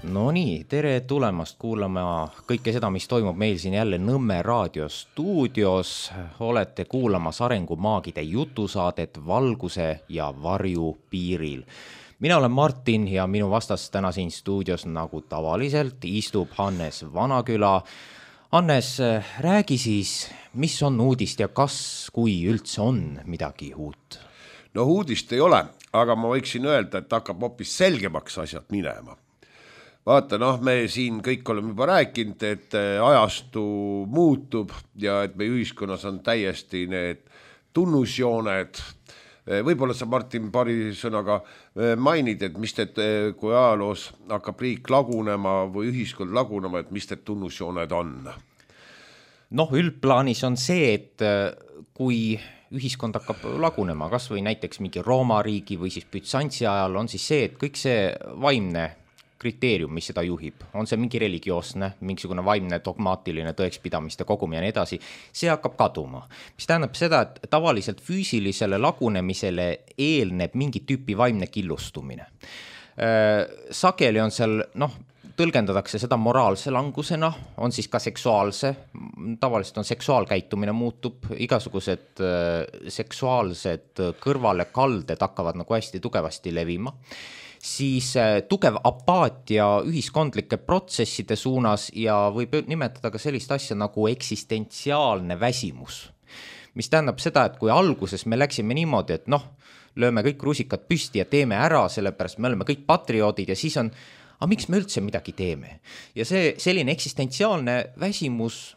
No nii, tere tulemast kuulama kõike seda, mis toimub meil siin jälle Nõmme raadio stuudios. Olete kuulamas arengumaagide jutusaadet Valguse ja varju piiril. Mina olen Martin ja minu vastas täna siin stuudios nagu tavaliselt istub Hannes Vanaküla. Hannes, räägi siis, mis on uudist ja kas, kui üldse on midagi uut? No uudist ei ole, aga ma võiksin öelda, et hakkab hoopis selgemaks asjad minema. Vaata, me siin kõik oleme juba rääkinud, et ajastu muutub ja et meie ühiskonnas on täiesti need tunnusjooned. Võib-olla sa, Martin, paari sõnaga mainid, et mis teed, kui ajaloos hakkab riik lagunema või ühiskond lagunema, et mis teed tunnusjooned on? Üldplaanis on see, et kui ühiskond hakkab lagunema, kas või näiteks mingi Rooma riigi või siis Bütsantsi ajal, on siis see, et kõik see vaimne kriteerium, mis seda juhib, on see mingi religioosne, mingisugune vaimne dogmaatiline tõekspidamiste kogum ja nii edasi, see hakkab kaduma. Mis tähendab seda, et tavaliselt füüsilisele lagunemisele eelneb mingi tüüpi vaimne killustumine. Sageli on seal, tõlgendatakse seda moraalse langusena, on siis ka seksuaalse, tavaliselt on seksuaalkäitumine muutub, igasugused seksuaalsed kõrvalekalded hakkavad nagu hästi tugevasti levima. Siis tugev apaatia ühiskondlike protsesside suunas ja võib nimetada ka sellist asja nagu eksistentsiaalne väsimus. Mis tähendab seda, et kui alguses me läksime niimoodi, et lööme kõik rusikad püsti ja teeme ära, sellepärast me oleme kõik patrioodid ja siis on, miks me üldse midagi teeme? Ja see selline eksistentsiaalne väsimus,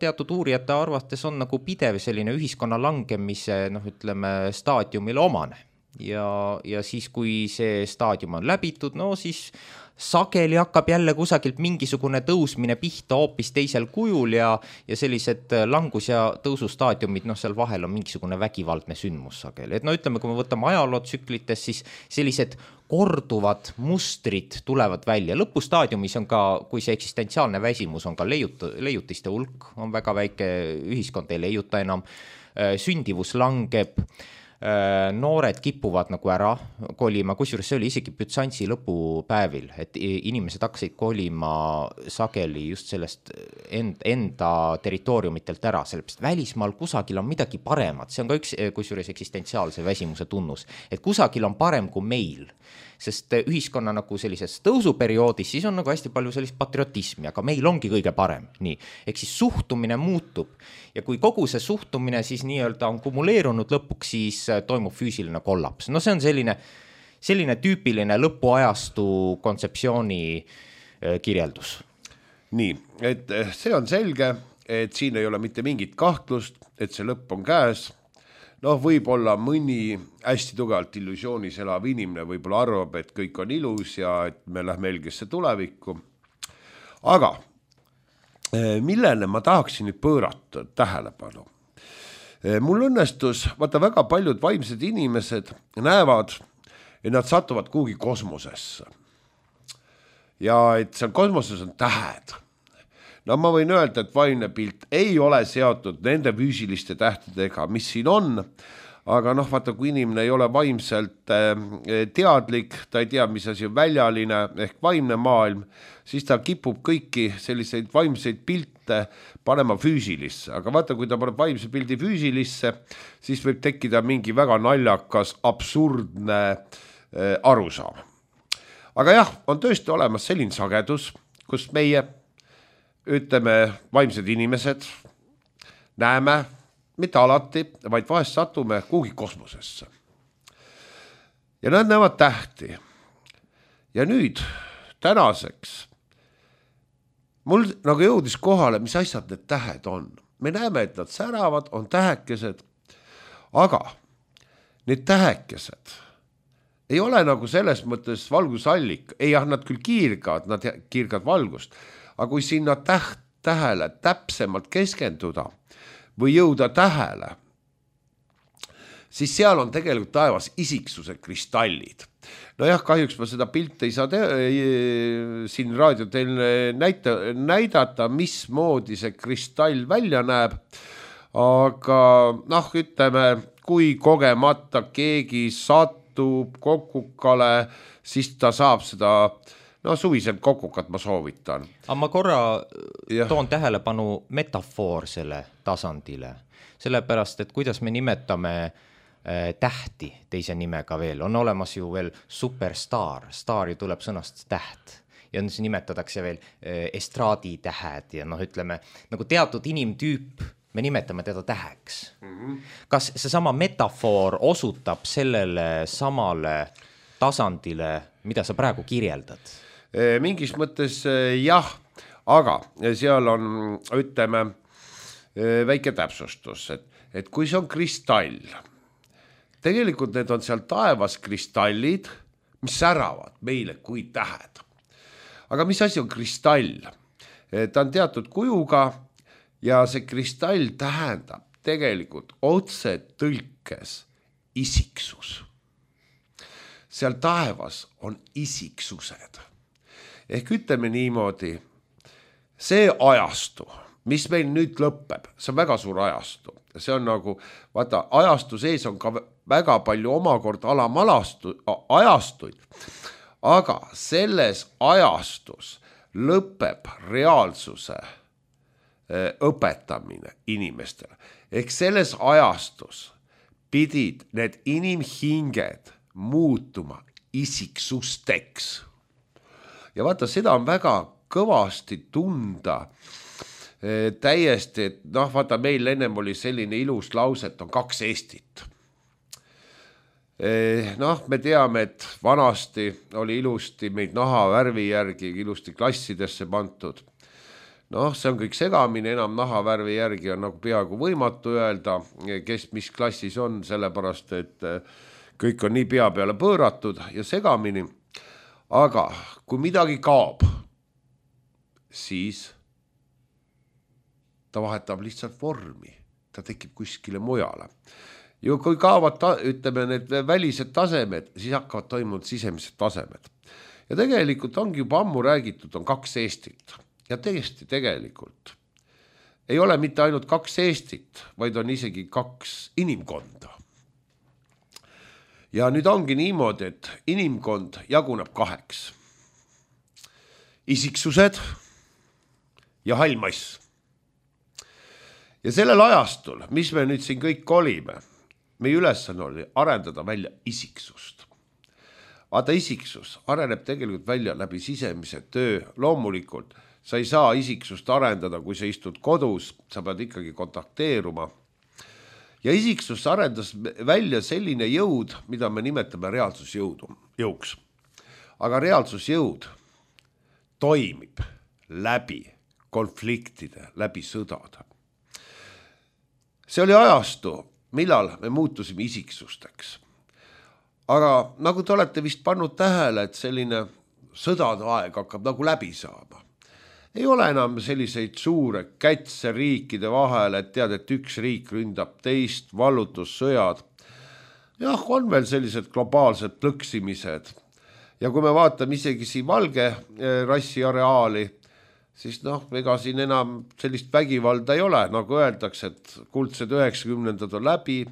teatud uurijate arvates on nagu pidev selline ühiskonna langemise, staadiumile omane. Ja siis, kui see staadium on läbitud, siis sageli hakkab jälle kusagilt mingisugune tõusmine pihta hoopis teisel kujul ja sellised langus- ja tõusustaadiumid, seal vahel on mingisugune vägivaldne sündmus sageli. Et ütleme, kui me võtame ajalootsüklites, siis sellised korduvad mustrid tulevad välja. Lõpustaadiumis on ka, kui see eksistentsiaalne väsimus on ka leiutiste hulk, on väga väike, ühiskond ei leiuta enam, sündivus langeb, noored kipuvad nagu ära kolima, kusjuures see oli isegi Bütsantsi lõpupäevil, et inimesed hakkasid kolima sageli just sellest enda territooriumitelt ära, sellepärast välismaal kusagil on midagi paremat, see on ka üks kusjuures eksistentsiaalse väsimuse tunnus, et kusagil on parem kui meil, sest ühiskonna nagu sellises tõusuperioodis siis on nagu hästi palju sellist patriotismi, aga meil ongi kõige parem, nii, ehk siis suhtumine muutub ja kui kogu see suhtumine siis nii-öelda on kumuleerunud lõpuks, siis toimub füüsiline kollaps. See on selline tüüpiline lõpuajastu kontseptsiooni kirjeldus. Nii, et see on selge, et siin ei ole mitte mingit kahtlust, et see lõpp on käes. Võib-olla mõni hästi tugevalt illusioonis elav inimene võib-olla arvab, et kõik on ilus ja et me lähme helgesse tulevikku. Aga millele ma tahaksin nüüd pöörata tähelepanu? Mul õnnestus, väga paljud vaimsed inimesed näevad, et nad satuvad kuhugi kosmosesse. Ja et seal kosmoses on tähed. Ma võin öelda, et vaimne pilt ei ole seotud nende füüsiliste tähtedega, mis siin on, aga vaata, kui inimene ei ole vaimselt teadlik, ta ei tea, mis asi on väljaline ehk vaimne maailm, siis ta kipub kõiki selliseid vaimseid pilte panema füüsilisse. Aga vaata, kui ta paneb vaimse pildi füüsilisse, siis võib tekkida mingi väga naljakas, absurdne arusaam. Aga jah, on tõesti olemas selline sagedus, kus meie vaimsed inimesed näeme, mitte alati, vaid vahest satume kuhugi kosmosesse. Ja nad näevad tähti. Ja nüüd, tänaseks, mul nagu jõudis kohale, mis asjad need tähed on. Me näeme, et nad säravad, on tähekesed, aga need tähekesed ei ole nagu selles mõttes valgusallik. Ei, nad küll kiirgavad valgust, aga kui sinna tähele täpsemalt keskenduda või jõuda tähele, siis seal on tegelikult taevas isiksuse kristallid. Kahjuks ma seda pilti ei saa siin raadio teile näidata, mismoodi see kristall välja näeb, aga ütleme, kui kogemata keegi satub kokukale, siis ta saab seda no suviselt kokukat ma soovitan. aga ma korra toon tähelepanu metafoorsele tasandile, sellepärast, et kuidas me nimetame tähti teise nimega veel, on olemas ju veel superstaar, staari tuleb sõnast täht ja siis nimetatakse veel estraaditähed ja noh, ütleme nagu teatud inimtüüp, me nimetame teda täheks. Kas see sama metafoor osutab sellele samale tasandile, mida sa praegu kirjeldad? Mingis mõttes jah, aga seal on, ütleme, väike täpsustus, et kui see on kristall, tegelikult need on seal taevas kristallid, mis säravad meile kui tähed. Aga mis asi on kristall? Ta on teatud kujuga ja see kristall tähendab tegelikult otse tõlkes isiksus. Seal taevas on isiksused. Ehk ütleme niimoodi, see ajastu, mis meil nüüd lõpeb, see on väga suur ajastu. See on nagu, vaata, ajastu sees on ka väga palju omakorda ajastuid, aga selles ajastus lõpeb reaalsuse õpetamine inimestele. Ehk selles ajastus pidid need inimhinged muutuma isiksusteks. Ja vaata, seda on väga kõvasti tunda täiesti, et noh, vaata, meil ennem oli selline ilus lause, et on 2 Eestit. Noh, me teame, et vanasti oli ilusti meid nahavärvi järgi ilusti klassidesse pantud. Noh, see on kõik segamine, enam nahavärvi järgi on nagu peaaegu võimatu öelda, kes mis klassis on, sellepärast, et kõik on nii pea peale pööratud ja segamini. Aga kui midagi kaob, siis ta vahetab lihtsalt vormi, ta tekib kuskile mujale. Ja kui kaovad, ütleme, need välised tasemed, siis hakkavad toimunud sisemised tasemed. Ja tegelikult ongi juba ammu räägitud, on 2 Eestit. Ja tõesti tegelikult ei ole mitte ainult 2 Eestit, vaid on isegi 2 inimkonda. Ja nüüd ongi niimoodi, et inimkond jaguneb 2. Isiksused ja hallmass. Ja sellel ajastul, mis me nüüd siin kõik olime, meie ülesanne oli arendada välja isiksust. Vaata, isiksus areneb tegelikult välja läbi sisemise töö. Loomulikult sa ei saa isiksust arendada, kui sa istud kodus, sa pead ikkagi kontakteeruma. Ja isiksus arendas välja selline jõud, mida me nimetame reaalsusjõuks. Aga reaalsusjõud toimib läbi konfliktide, läbi sõdade. See oli ajastu, millal me muutusime isiksusteks. Aga nagu te olete vist pannud tähele, et selline sõdade aeg hakkab nagu läbi saama. Ei ole enam selliseid suure kätse riikide vahel, et tead, et üks riik ründab teist, vallutussõjad. Jah, on veel sellised globaalsed plõksimised. Ja kui me vaatame isegi siin valge rassi areaali, siis noh, ega siin enam sellist vägivalda ei ole, nagu öeldakse, et kuldsed 90-ndad on läbi,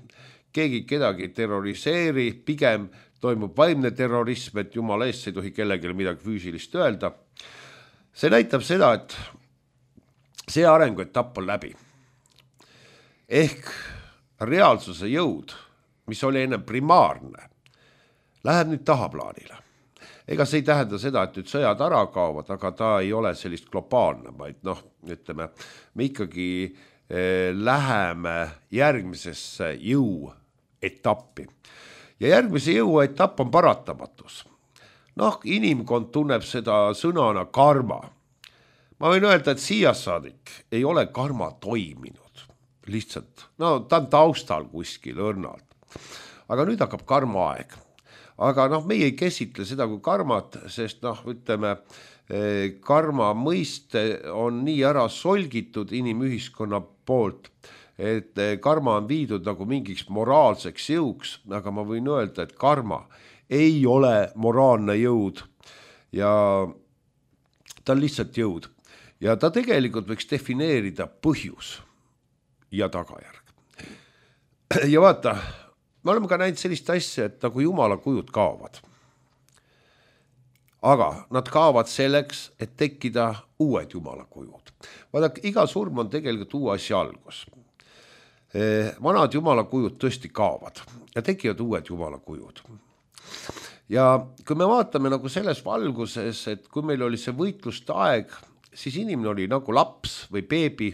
keegi kedagi terroriseeri, pigem toimub vaimne terrorism, et jumala eest ei tohi kellelegi midagi füüsilist öelda. See näitab seda, et see arenguetapp on läbi. Ehk reaalsuse jõud, mis oli enne primaarne, läheb nüüd tahaplaanile. Ega see ei tähenda seda, et nüüd sõjad ära kaovad, aga ta ei ole sellist globaalne, vaid noh, ütleme, me ikkagi läheme järgmisesse jõuetappi. Ja järgmise jõuetapp on paratamatus. Noh, inimkond tunneb seda sõnana karma. Ma võin öelda, et siiasaadik ei ole karma toiminud. Lihtsalt, no ta on taustal kuskil õrnalt. Aga nüüd hakkab karma aeg. Aga noh, meie ei käsitle seda kui karmat, sest noh, ütleme, karma mõiste on nii ära solgitud inimühiskonna poolt, et karma on viidud nagu mingiks moraalseks jõuks, aga ma võin öelda, et karma ei ole moraalne jõud ja ta on lihtsalt jõud. Ja ta tegelikult võiks defineerida põhjus ja tagajärg. Ja vaata, me oleme ka näinud sellist asja, et nagu jumala kujud kaovad. aga nad kaovad selleks, et tekkida uued jumalakujud. Vaadake, iga surm on tegelikult uue asja algus. Vanad jumalakujud tõesti kaovad ja tekivad uued jumalakujud. Ja kui me vaatame nagu selles valguses, et kui meil oli see võitluste aeg, siis inimene oli nagu laps või beebi,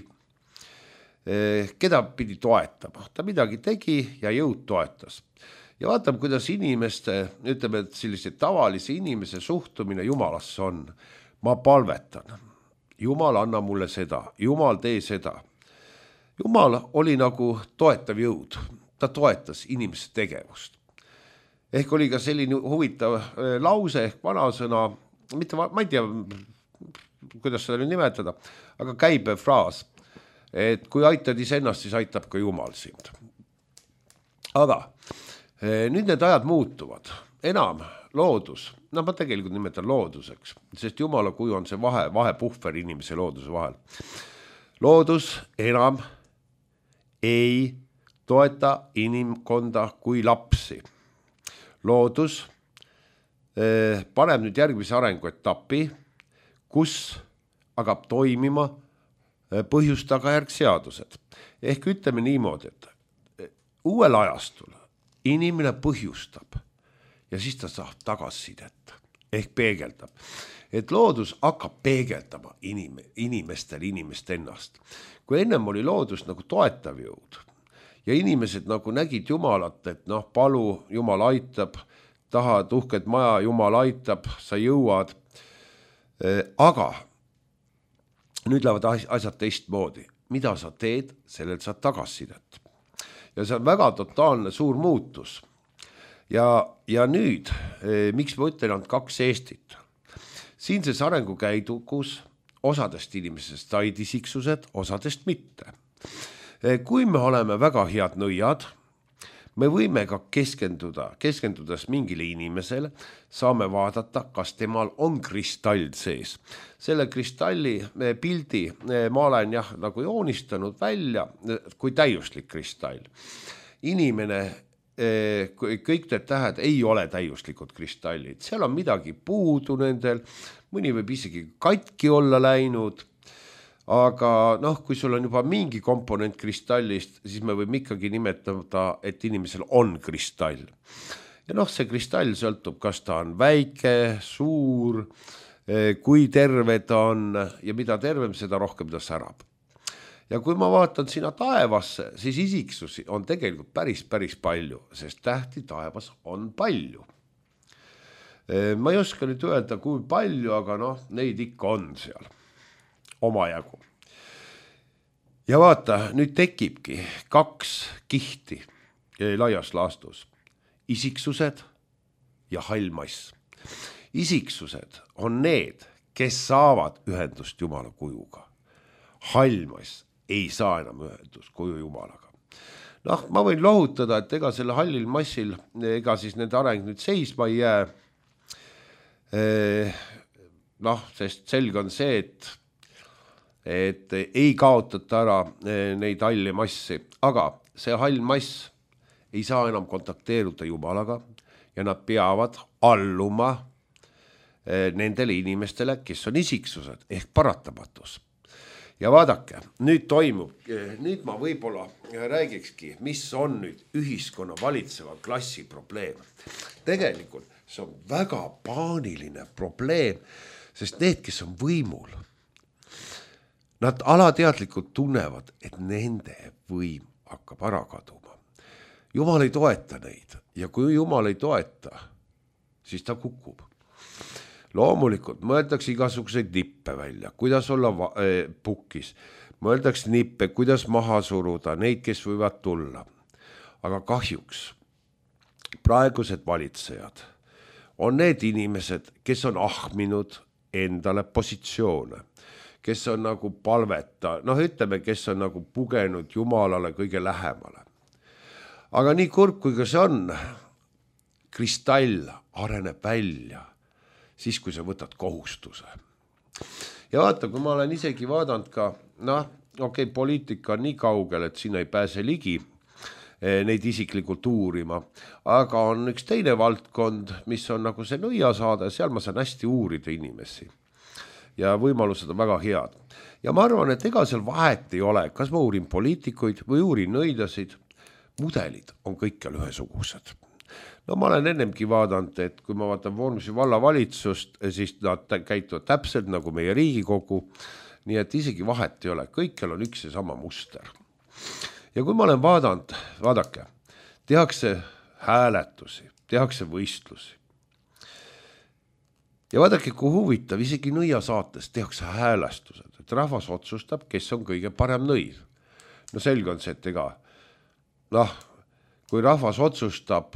keda pidi toetama. Ta midagi tegi ja jõud toetas. Ja vaatame, kuidas inimeste, ütleme, et sellise tavalise inimese suhtumine Jumalasse on. Ma palvetan. Jumal, anna mulle seda. Jumal, tee seda. Jumal oli nagu toetav jõud. Ta toetas inimese tegevust. Ehk oli ka selline huvitav lause ehk vanasõna, mitte, ma ei tea, kuidas seda nimetada, aga käibe fraas, et kui aitad iseennast, siis aitab ka Jumal sind. Aga nüüd need ajad muutuvad. Enam loodus, ma tegelikult nimetan looduseks, sest Jumala kuju on see vahepuhver inimese looduse vahel. Loodus enam ei toeta inimkonda kui lapsi. Loodus paneb nüüd järgmise arenguetapi, kus hakkab toimima põhjus-tagajärgseadused. Ehk ütleme niimoodi, et uuel ajastul inimene põhjustab ja siis ta saab tagasisidet ehk peegeldab. Et loodus hakkab peegeldama inimest ennast. Kui ennem oli loodus nagu toetav jõud ja inimesed nagu nägid Jumalat, et palu, Jumal aitab, tahad uhked maja, Jumal aitab, sa jõuad. Aga nüüd lähevad asjad teistmoodi. Mida sa teed, sellel saad tagasisidet. Ja see on väga totaalne suur muutus. Ja nüüd, miks ma ütlen ainult 2 Eestit? Siinses arengukäidukus osadest inimesest said isiksused, osadest mitte. Kui me oleme väga head nõiad, me võime ka keskendudes mingile inimesele, saame vaadata, kas temal on kristall sees. Selle kristalli pildi ma olen nagu joonistanud välja kui täiuslik kristall. Inimene, kõik need tähed ei ole täiuslikud kristallid. Seal on midagi puudu nendel, mõni võib isegi katki olla läinud. Aga kui sul on juba mingi komponent kristallist, siis me võime ikkagi nimetada, et inimesel on kristall. Ja see kristall sõltub, kas ta on väike, suur, kui terve ta on ja mida tervem, seda rohkem ta särab. Ja kui ma vaatan sinna taevasse, siis isiksusi on tegelikult päris palju, sest tähti taevas on palju. Ma ei oska nüüd öelda, kui palju, aga neid ikka on seal. Omajagu. Ja vaata, nüüd tekibki 2 kihti laias laastus. Isiksused ja hallmass. Isiksused on need, kes saavad ühendust Jumala kujuga. Hallmass ei saa enam ühendust kuju Jumalaga. Ma võin lohutada, et ega selle hallil massil, ega siis nende areng nüüd seisma ei jää. Sest selge on see, et ei kaotata ära neid halli massi, aga see hall mass ei saa enam kontakteeruda Jumalaga ja nad peavad alluma nendele inimestele, kes on isiksused ehk paratamatus. Ja vaadake, nüüd ma võib-olla räägikski, mis on nüüd ühiskonna valitseva klassi probleem. Tegelikult see on väga paaniline probleem, sest need, kes on võimul, nad alateadlikult tunnevad, et nende võim hakkab ära kaduma. Jumal ei toeta neid ja kui Jumal ei toeta, siis ta kukub. Loomulikult mõeldakse igasuguseid nippe välja, kuidas olla pukkis. Mõeldakse nippe, kuidas maha suruda, neid, kes võivad tulla. Aga kahjuks praegused valitsejad on need inimesed, kes on ahminud endale positsioone, kes on nagu palveta, ütleme, kes on nagu pugenud Jumalale kõige lähemale. Aga nii kurb, kui ka see on, kristall areneb välja, siis kui sa võtad kohustuse. Ja vaata, kui ma olen isegi vaadanud ka, poliitika on nii kaugel, et sinna ei pääse ligi, neid isiklikult uurima, aga on üks teine valdkond, mis on nagu see nõiasaade, seal ma saan hästi uurida inimesi ja võimalused on väga head. Ja ma arvan, et ega seal vahet ei ole, kas ma uurin poliitikuid või uurin nõidasid, mudelid on kõikjal ühesugused. No ma olen ennemgi vaadanud, et kui ma vaatan Vormsi vallavalitsust, siis nad käituvad täpselt nagu meie Riigikogu, nii et isegi vahet ei ole, kõikjal on üks ja sama muster. Ja kui ma olen vaadanud, vaadake, tehakse hääletusi, tehakse võistlusi. Ja vaadake, kui huvitav, isegi nõiasaates tehakse häälestused, et rahvas otsustab, kes on kõige parem nõid. No selge on see, et ega, kui rahvas otsustab,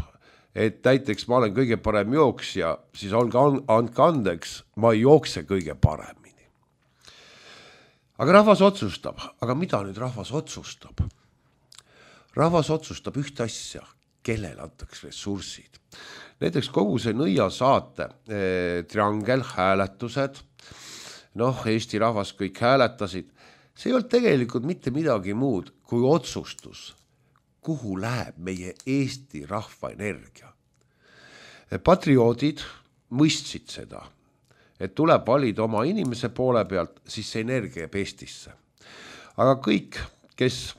et näiteks ma olen kõige parem jooksja, siis andke andeks, ma ei jookse kõige paremini. Aga rahvas otsustab, aga mida nüüd rahvas otsustab? Rahvas otsustab ühte asja, kellele antaks ressursid. Näiteks kogu see nõiasaate triangel, hääletused, Eesti rahvas kõik hääletasid, see ei olnud tegelikult mitte midagi muud kui otsustus, kuhu läheb meie Eesti rahva energia. Patrioodid mõistsid seda, et tuleb valida oma inimese poole pealt, siis see energia jääb Eestisse. Aga kõik, kes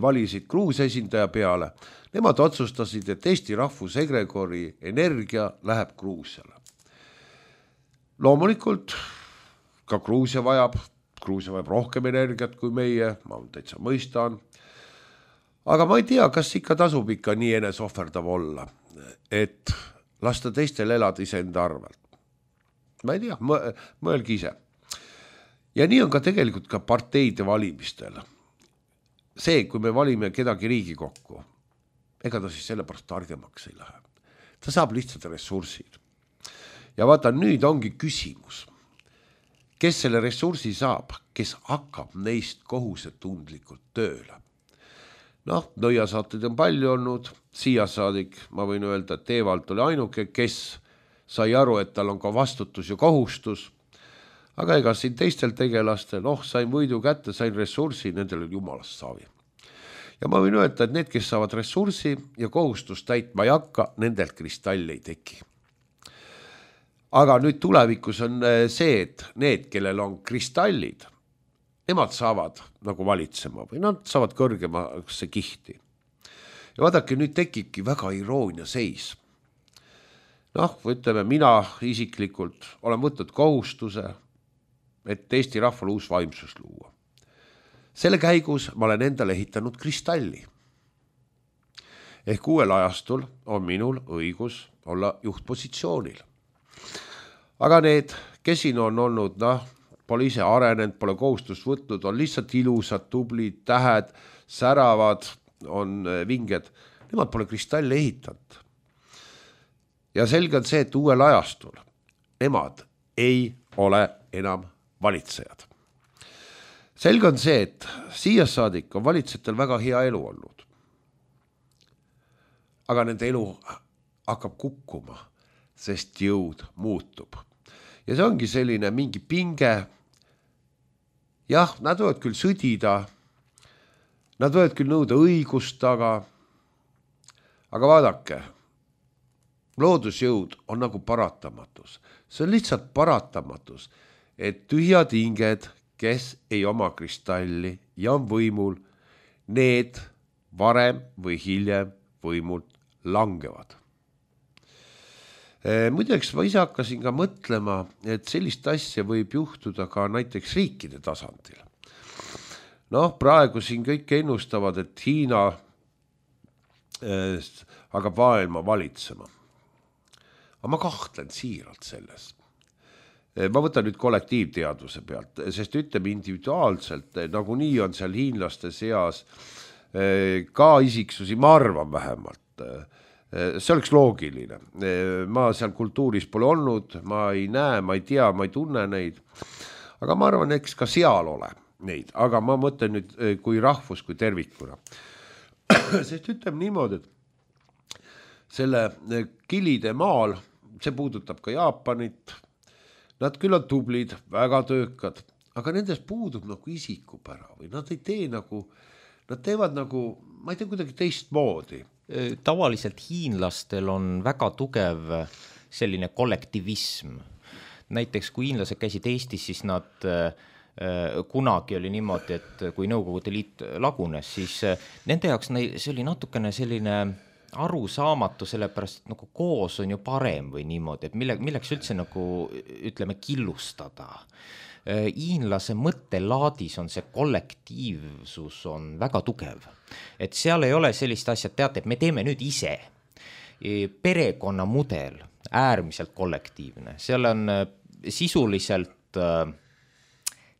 valisid Gruusia esindaja peale, nemad otsustasid, et Eesti rahvusegregori energia läheb Gruusiale. Loomulikult ka Gruusia vajab rohkem energiat kui meie, ma täitsa mõistan. Aga ma ei tea, kas ikka tasub ikka nii enesohverdav olla, et lasta teistel elada iseenda arvelt. Ma ei tea, mõelge ise. Ja nii on ka tegelikult ka parteide valimistel. See, kui me valime kedagi Riigikokku, ega ta siis sellepärast targemaks ei lähe. Ta saab lihtsalt ressursid. Ja vaata, nüüd ongi küsimus, kes selle ressursi saab, kes hakkab neist kohusetundlikult tööle. Nõiasaateid on palju olnud, siia saadik, ma võin öelda, et Teevalt oli ainuke, kes sai aru, et tal on ka vastutus ja kohustus, aga ega siin teistel tegelastel, sain võidu kätte, sain ressursi, nendel oli jumalast saavi. Ja ma võin öelda, et need, kes saavad ressursi ja kohustust täitma ei hakka, nendelt kristalli ei teki. Aga nüüd tulevikus on see, et need, kellel on kristallid, nemad saavad nagu valitsema või nad saavad kõrgemasse kihti. Ja vaadake, nüüd tekibki väga iroonia seis. Ütleme, mina isiklikult olen võtnud kohustuse, et Eesti rahval uus vaimsus luua. Selle käigus ma olen endale ehitanud kristalli. Ehk uuel ajastul on minul õigus olla juhtpositsioonil. Aga need, kes siin on olnud, pole ise arenenud, pole kohustust võtnud, on lihtsalt ilusad, tublid, tähed, säravad, on vinged, nemad pole kristalli ehitanud. Ja selge on see, et uuel ajastul nemad ei ole enam valitsejad. Selge on see, et siia saadik on valitsejatel väga hea elu olnud. Aga nende elu hakkab kukkuma, sest jõud muutub. Ja see ongi selline mingi pinge. Jah, nad võivad küll sõdida, nad võivad küll nõuda õigust, aga vaadake, loodusjõud on nagu paratamatus. See on lihtsalt paratamatus, et tühjad hinged, kes ei oma kristalli ja on võimul, need varem või hiljem võimult langevad. Muideks ma ise hakkasin ka mõtlema, et sellist asja võib juhtuda ka näiteks riikide tasandil. Praegu siin kõik ennustavad, et Hiina hakkab maailma valitsema. Aga ma kahtlen siiralt selles. Ma võtan nüüd kollektiivteadvuse pealt, sest ütleme individuaalselt, nagu nii on seal hiinlaste seas ka isiksusi, ma arvan vähemalt. See oleks loogiline. Ma seal kultuuris pole olnud, ma ei näe, ma ei tea, ma ei tunne neid. Aga ma arvan, eks ka seal ole neid. Aga ma mõtlen nüüd kui rahvus, kui tervikuna. Sest ütleme niimoodi, et selle Kilide maal, see puudutab ka Jaapanit, nad küll on tublid, väga töökad, aga nendes puudub nagu isikupära või nad ei tee nagu, nad teevad nagu, ma ei tea, kuidagi teistmoodi. Tavaliselt hiinlastel on väga tugev selline kollektivism. Näiteks kui hiinlased käisid Eestis, siis nad kunagi oli niimoodi, et kui Nõukogude Liit lagunes, siis nende jaoks see oli natukene selline arusaamatu, sellepärast, et nagu koos on ju parem või niimoodi, et milleks üldse nagu ütleme killustada. Hiinlase mõttelaadis on see kollektiivsus on väga tugev, et seal ei ole sellist asja, teate, et me teeme nüüd ise. Perekonnamudel, äärmiselt kollektiivne, seal on sisuliselt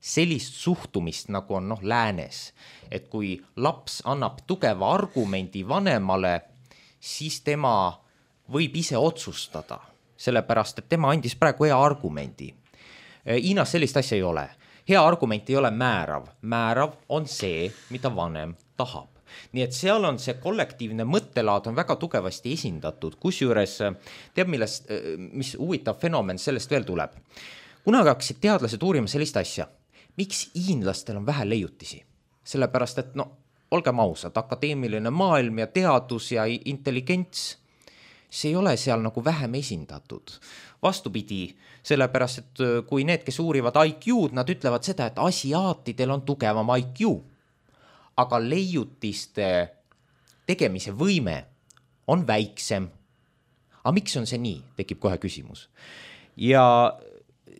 sellist suhtumist, nagu on läänes, et kui laps annab tugeva argumendi vanemale, siis tema võib ise otsustada, sellepärast, et tema andis praegu hea argumendi. Hiinas sellist asja ei ole. Hea argument ei ole määrav. Määrav on see, mida vanem tahab. Nii et seal on see kollektiivne mõttelaad on väga tugevasti esindatud, kusjuures teab, mis huvitav fenomen sellest veel tuleb. Kunagi hakkasid teadlased uurima sellist asja, miks hiinlastel on vähe leiutisi? Sellepärast, et olgem ausad, akadeemiline maailm ja teadus ja intelligents, see ei ole seal nagu vähem esindatud. Vastupidi, sellepärast, et kui need, kes uurivad IQ-d, nad ütlevad seda, et asiaatidel on tugevam IQ, aga leiutiste tegemise võime on väiksem. Aga miks on see nii? Tekib kohe küsimus. Ja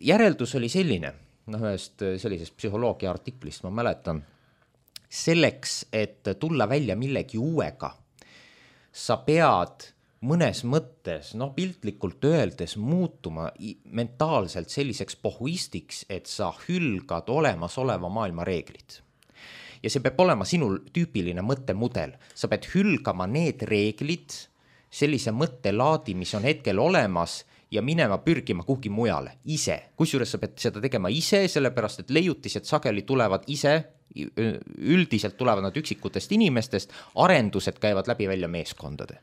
järeldus oli selline, ühest sellisest psühholoogia artiklist, ma mäletan, selleks, et tulla välja millegi uuega, sa pead mõnes mõttes, piltlikult öeldes muutuma mentaalselt selliseks pohhuistiks, et sa hülgad olemasoleva maailma reeglid. Ja see peab olema sinul tüüpiline mõttemudel. Sa pead hülgama need reeglid, sellise mõttelaadi, mis on hetkel olemas ja minema pürgima kuhugi mujale, ise. Kusjuures sa pead seda tegema ise, sellepärast et leiutised sageli tulevad ise, üldiselt tulevad nad üksikutest inimestest, arendused käivad läbi välja meeskondade.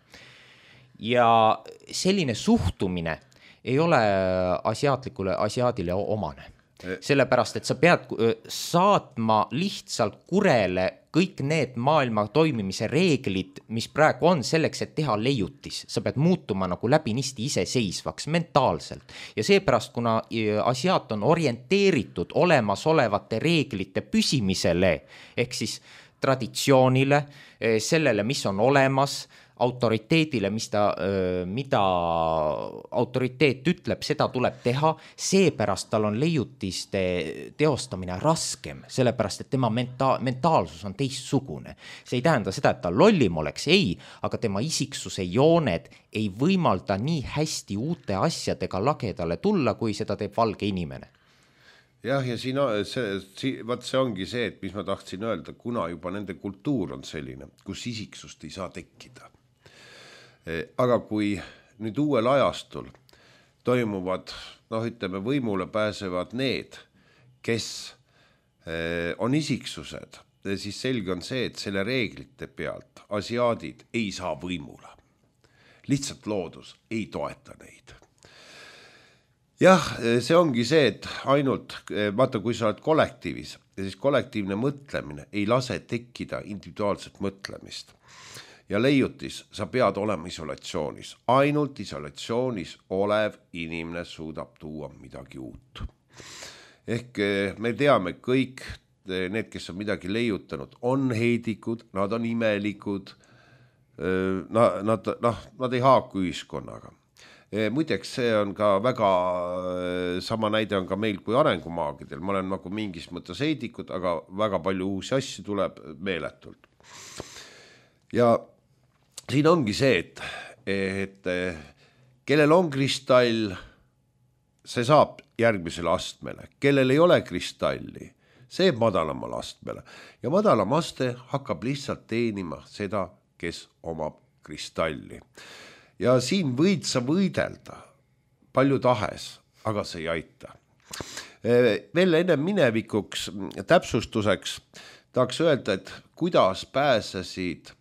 Ja selline suhtumine ei ole asiaadile omane. Sellepärast, et sa pead saatma lihtsalt kurele kõik need maailma toimimise reeglid, mis praegu on selleks, et teha leiutis. Sa pead muutuma nagu läbinisti iseseisvaks mentaalselt. Ja seepärast, kuna asiaat on orienteeritud olemasolevate reeglite püsimisele, ehk siis traditsioonile, sellele, mis on olemas, autoriteedile, mida autoriteet ütleb, seda tuleb teha, seepärast tal on leiutiste teostamine raskem, sellepärast, et tema mentaalsus on teistsugune. See ei tähenda seda, et ta lollim oleks, ei, aga tema isiksuse jooned ei võimalda nii hästi uute asjadega lagedale tulla, kui seda teeb valge inimene. Jah, ja see ongi see, et mis ma tahtsin öelda, kuna juba nende kultuur on selline, kus isiksust ei saa tekkida. Aga kui nüüd uuel ajastul toimuvad, ütleme, võimule pääsevad need, kes on isiksused, siis selge on see, et selle reeglite pealt asiaadid ei saa võimule. Lihtsalt loodus ei toeta neid. Jah, see ongi see, et ainult, vaata, kui sa oled kollektiivis, ja siis kollektiivne mõtlemine ei lase tekkida individuaalset mõtlemist. Ja leiutis, sa pead olema isolatsioonis. Ainult isolatsioonis olev inimene suudab tuua midagi uut. Ehk me teame kõik, need, kes on midagi leiutanud, on heidikud, nad on imelikud, nad ei haaku ühiskonnaga. Muideks see on ka väga, sama näide on ka meil kui arengumaagidel. Ma olen nagu mingis mõttes heidikud, aga väga palju uusi asju tuleb meeletult. Ja siin ongi see, et kellel on kristall, see saab järgmisele astmele. Kellel ei ole kristalli, see madalamal astmele. Ja madalam aste hakkab lihtsalt teenima seda, kes omab kristalli. Ja siin võid sa võidelda palju tahes, aga see ei aita. Veel enne minevikuks täpsustuseks tahaks öelda, et kuidas pääsesid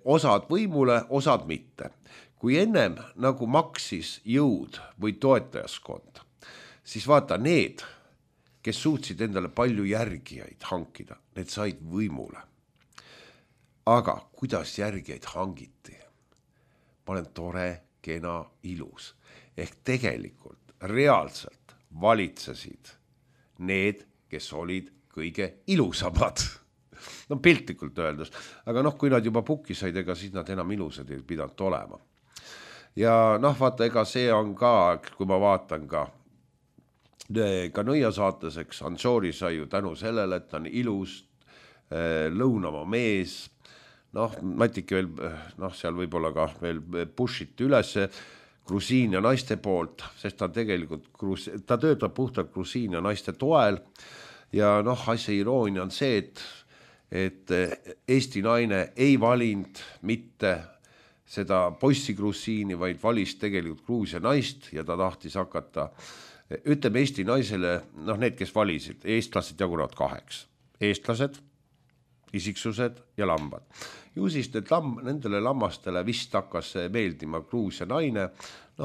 osad võimule, osad mitte. Kui ennem nagu maksis jõud või toetajaskond, siis vaata need, kes suutsid endale palju järgijaid hankida, need said võimule. aga kuidas järgijaid hangiti? Ma olen tore, kena, ilus. Ehk tegelikult reaalselt valitsesid need, kes olid kõige ilusamad. No piltlikult öeldus. Aga kui nad juba pukki said, ega siis nad enam ilusad ei pidanud olema. Ja vaata, ega see on ka, kui ma vaatan ka Nõia saates, eks Anžoori sai ju tänu sellele, et ta on ilus, lõunamaa mees, Matiki veel, seal võib-olla ka veel push'it üles Grusiinia naiste poolt, sest ta tegelikult, ta töötab puhtalt Grusiinia naiste toel ja asja iroonia on see, et Eesti naine ei valinud mitte seda poissi Grusiini, vaid valis tegelikult Gruusia naist ja ta tahtis hakata, ütleme Eesti naisele, need, kes valisid, eestlased jagunevad 2, eestlased, isiksused ja lambad. Ju siis nendele lammastele vist hakkas meeldima Gruusia naine,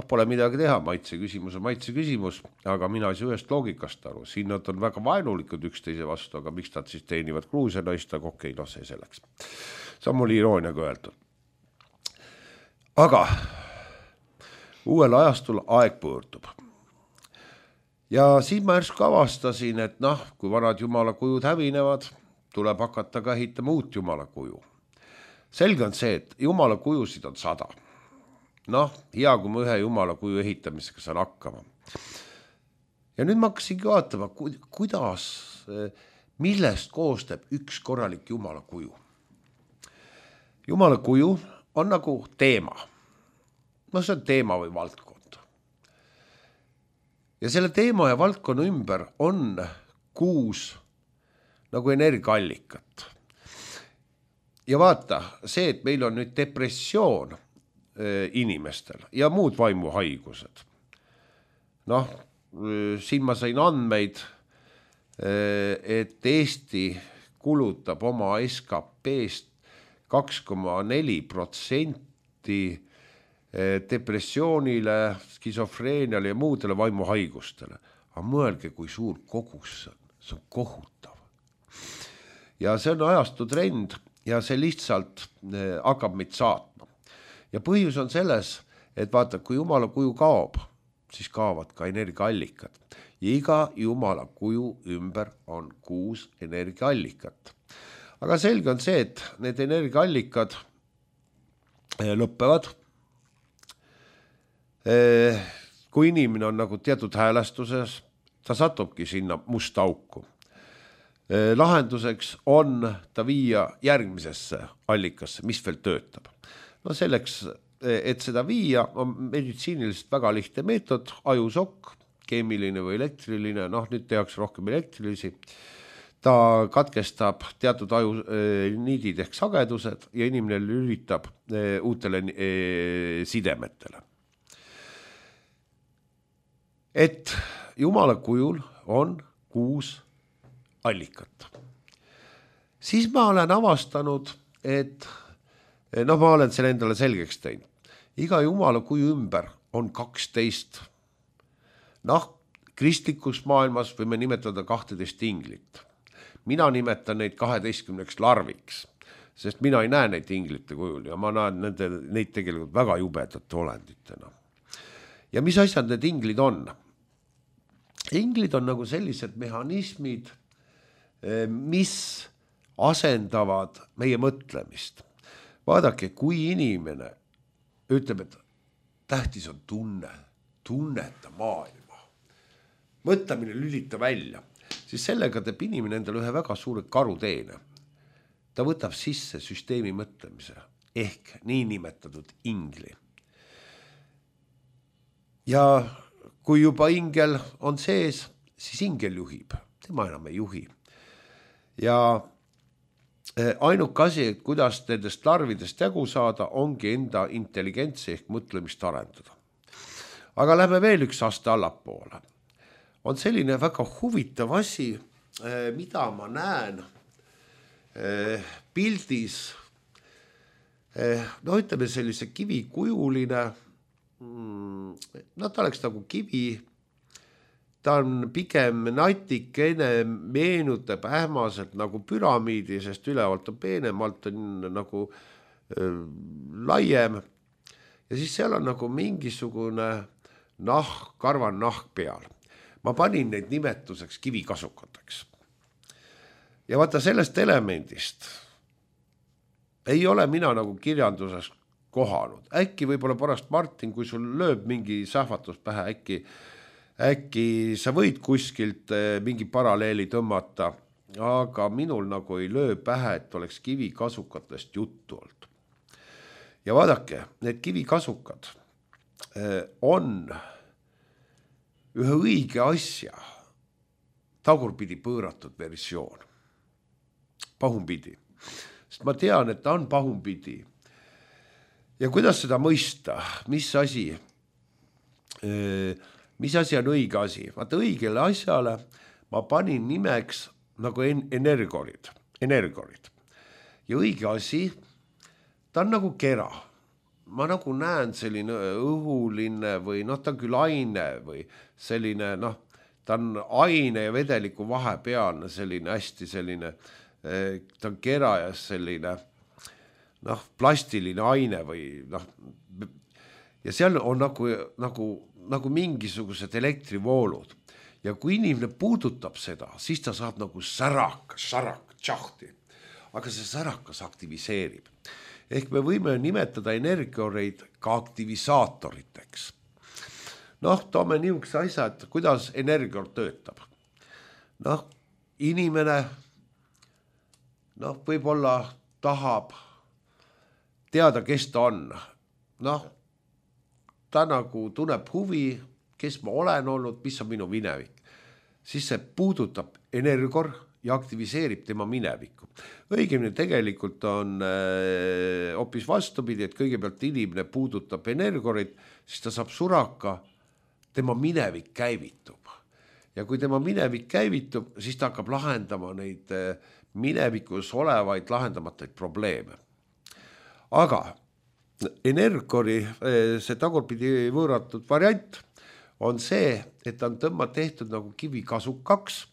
pole midagi teha, maitse küsimus, aga mina ei saa ühest loogikast aru, siin nad on väga vaenulikud üksteise vastu, aga miks nad siis teenivad Gruusia naist, aga okei, see selleks. See on mul irooniaga öeldud. Aga uuel ajastul aeg pöördub. Ja siis ma järsku avastasin, et kui vanad jumala kujud hävinevad, tuleb hakata ka ehitama uut jumala kuju. Selge on see, et jumala kujusid on 100. Hea, kui ma ühe jumala kuju ehitamisega saan hakkama. Ja nüüd ma hakkasingi vaatama, kuidas, millest koostab üks korralik jumala kuju. Jumala kuju on nagu teema. See on teema või valdkond. Ja selle teema ja valdkonna ümber on 6 nagu energiaallikat. Ja vaata, see, et meil on nüüd depressioon inimestel ja muud vaimuhaigused. Siin ma sain andmeid, et Eesti kulutab oma SKP-st 2,4% depressioonile, skisofreeniale ja muudele vaimuhaigustele. Aga mõelge, kui suur kogus see on kohutav. Ja see on ajastu trend ja see lihtsalt hakkab meid saatma. Ja põhjus on selles, et vaata, kui jumala kuju kaob, siis kaovad ka energiaallikad. Ja iga jumala kuju ümber on 6 energiaallikat. Aga selge on see, et need energiaallikad lõppevad. Kui inimene on nagu teatud häälestuses, ta satubki sinna musta auku. Lahenduseks on ta viia järgmisesse allikasse, mis veel töötab. Selleks, et seda viia, on meditsiiniliselt väga lihtne meetod, ajusokk, keemiline või elektriline, nüüd tehakse rohkem elektrilisi. Ta katkestab teatud aju niidid ehk sagedused ja inimene lülitab uutele sidemetele. Et jumala kujul on 6 allikat. Siis ma olen avastanud, et ma olen selle endale selgeks teinud. Iga jumala kuju ümber on 12. Kristlikus maailmas võime nimetada 12 inglit. Mina nimetan neid 12 larviks, sest mina ei näe neid inglite kujul ja ma näen neid tegelikult väga jubedate olenditena. Ja mis asjad need inglid on? Inglid on nagu sellised mehhanismid, mis asendavad meie mõtlemist. Vaadake, kui inimene ütleb, et tähtis on tunneta maailma, mõtlemine lülita välja, siis sellega teeb inimene endale ühe väga suure karuteene. Ta võtab sisse süsteemi mõtlemise ehk niinimetatud ingli. Ja kui juba ingel on sees, siis ingel juhib, tema enam ei juhi. Ja ainuke asi, et kuidas nendest larvidest jagu saada, ongi enda intelligentsi ehk mõtlemist arendada. Aga lähme veel üks aste allapoole. On selline väga huvitav asi, mida ma näen pildis, ütleme sellise kivikujuline, ta oleks nagu kivi ta on pigem natikene, meenutab ähmaselt nagu püramiidi, sest ülevalt on peenem, alt on nagu laiem ja siis seal on nagu mingisugune nahk, karvan nahk peal. Ma panin neid nimetuseks kivikasukateks. Ja vaata sellest elemendist ei ole mina nagu kirjanduses kohanud. Äkki võib-olla pärast Martin, kui sul lööb mingi sähvatus pähe, äkki sa võid kuskilt mingi paralleeli tõmmata, aga minul nagu ei löö pähe, et oleks kivikasukatest juttu olnud. Ja vaadake, need kivikasukad on ühe õige asja tagurpidi pööratud versioon. Pahumpidi. Sest ma tean, et ta on pahumpidi. Ja kuidas seda mõista? Mis asi on õige asi? Vaata õigele asjale ma panin nimeks nagu energiorid. Ja õige asi, ta on nagu kera. Ma nagu näen selline õhuline või ta on küll aine või selline, ta on aine ja vedeliku vahepealne selline hästi selline, ta on kera ja selline plastiline aine või ja seal on nagu mingisugused elektrivoolud ja kui inimene puudutab seda, siis ta saab nagu tšahti, aga see särakas aktiviseerib. Ehk me võime nimetada energioreid ka aktivisaatoriteks. Toome niisuguse asja, et kuidas energior töötab. Inimene võib-olla tahab teada, kes ta on. Ta nagu tunneb huvi, kes ma olen olnud, mis on minu minevik. Siis see puudutab energior ja aktiviseerib tema minevikku. Õigemini tegelikult on hoopis vastupidi, et kõigepealt inimene puudutab energiorit, siis ta saab suraka, tema minevik käivitub. Ja kui tema minevik käivitub, siis ta hakkab lahendama neid minevikus olevaid lahendamatuid probleeme. Aga energiori, see tagurpidi võõratud variant on see, et ta on tehtud nagu kivikasukaks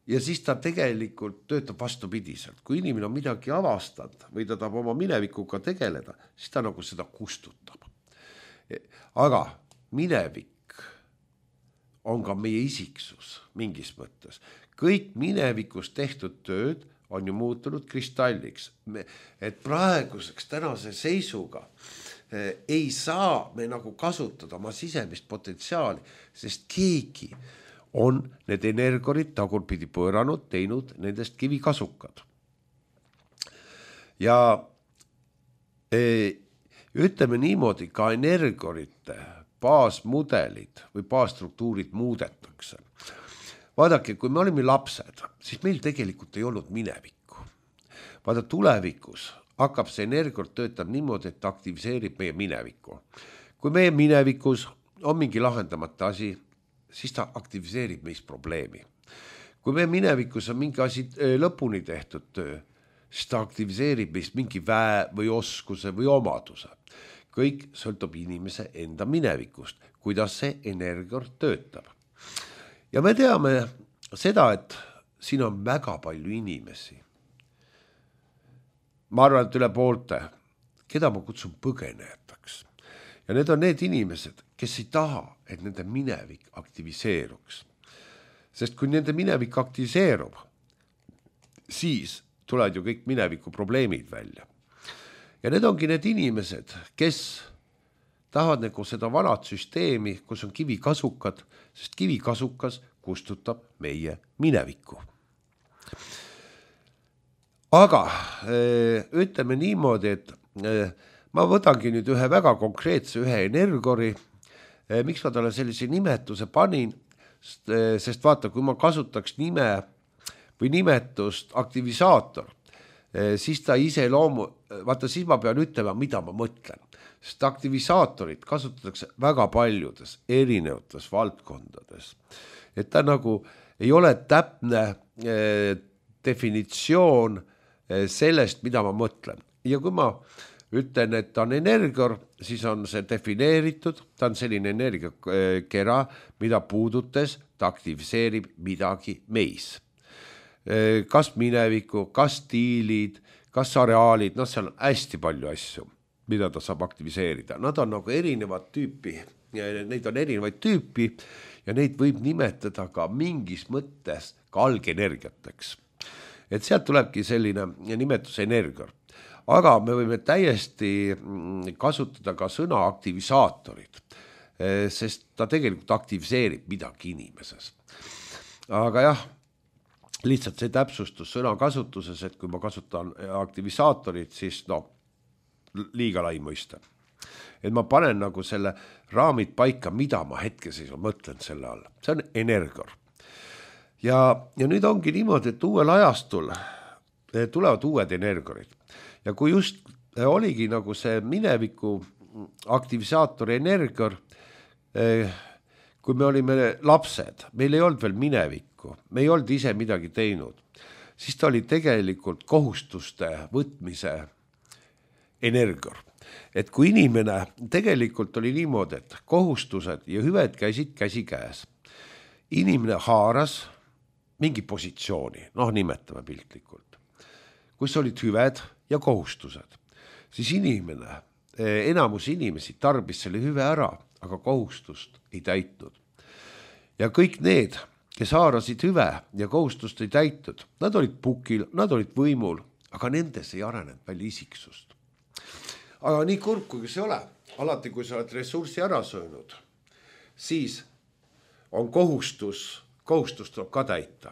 ja siis ta tegelikult töötab vastupidiselt. Kui inimene on midagi avastanud või ta tahab oma minevikuga tegeleda, siis ta nagu seda kustutab. Aga minevik on ka meie isiksus mingis mõttes. Kõik minevikus tehtud tööd on ju muutunud kristalliks. Et praeguseks tänase seisuga ei saa me nagu kasutada oma sisemist potentsiaali, sest keegi on need energiorid tagurpidi pööranud, teinud nendest kivikasukad. Ja ütleme niimoodi, ka energiorite baasmudelid või baasstruktuurid muudetakse. Vaadake, kui me olime lapsed, siis meil tegelikult ei olnud minevikku. Vaada, tulevikus hakkab see energior töötab niimoodi, et ta aktiviseerib meie minevikku. Kui meie minevikus on mingi lahendamata asi, siis ta aktiviseerib meist probleemi. Kui meie minevikus on mingi asi lõpuni tehtud töö, siis ta aktiviseerib meist mingi väe või oskuse või omaduse. Kõik sõltub inimese enda minevikust, kuidas see energior töötab. Ja me teame seda, et siin on väga palju inimesi. Ma arvan, et üle poolte, keda ma kutsun põgenejateks. Ja need on need inimesed, kes ei taha, et nende minevik aktiviseeruks. Sest kui nende minevik aktiviseerub, siis tulevad ju kõik mineviku probleemid välja. Ja need ongi need inimesed, kes tahavad nagu seda vanat süsteemi, kus on kivikasukad, sest kivikasukas kustutab meie minevikku. Aga ütleme niimoodi, et ma võtangi nüüd ühe väga konkreetse ühe energiori. Miks ma talle sellise nimetuse panin? Sest vaata, kui ma kasutaks nime või nimetust aktivisaator, siis ta vaata, siis ma pean ütlema, mida ma mõtlen. Sest aktivisaatorid kasutatakse väga paljudes erinevates valdkondades. Et ta nagu ei ole täpne definitsioon sellest, mida ma mõtlen. Ja kui ma ütlen, et ta on energior, siis on see defineeritud, ta on selline energiakera, mida puudutes, ta aktiviseerib midagi meis. Kas mineviku, kas stiilid, kas areaalid, seal on hästi palju asju, mida ta saab aktiviseerida. Nad on nagu erinevad tüüpi, neid on erinevaid tüüpi ja neid võib nimetada ka mingis mõttes ka algenergiateks. Et sealt tulebki selline nimetus energior. Aga me võime täiesti kasutada ka sõna aktivisaatorid, sest ta tegelikult aktiviseerib midagi inimeses. Aga jah, lihtsalt see täpsustus sõna kasutuses, et kui ma kasutan aktivisaatorit, siis liiga lai mõiste. Et ma panen nagu selle raamid paika, mida ma hetkeseisul mõtlen selle all. See on energior. Ja nüüd ongi niimoodi, et uuel ajastul tulevad uued energiorid. Ja kui just oligi nagu see mineviku aktivisaatori energior, kui me olime lapsed, meil ei olnud veel minevikku, me ei olnud ise midagi teinud, siis ta oli tegelikult kohustuste võtmise energior. Et kui inimene tegelikult oli niimoodi, et kohustused ja hüved käisid käsi käes, inimene haaras mingi positsiooni, nimetame piltlikult, kus olid hüved ja kohustused, siis inimene, enamus inimesi tarbis selle hüve ära, aga kohustust ei täitnud. Ja kõik need, kes haarasid hüve ja kohustust ei täitnud, nad olid pukil, nad olid võimul, aga nendes ei arenenud välja isiksust. Aga nii kurb, kui see ole, alati kui sa oled ressurssi ära söönud, siis on kohustus tuleb ka täita.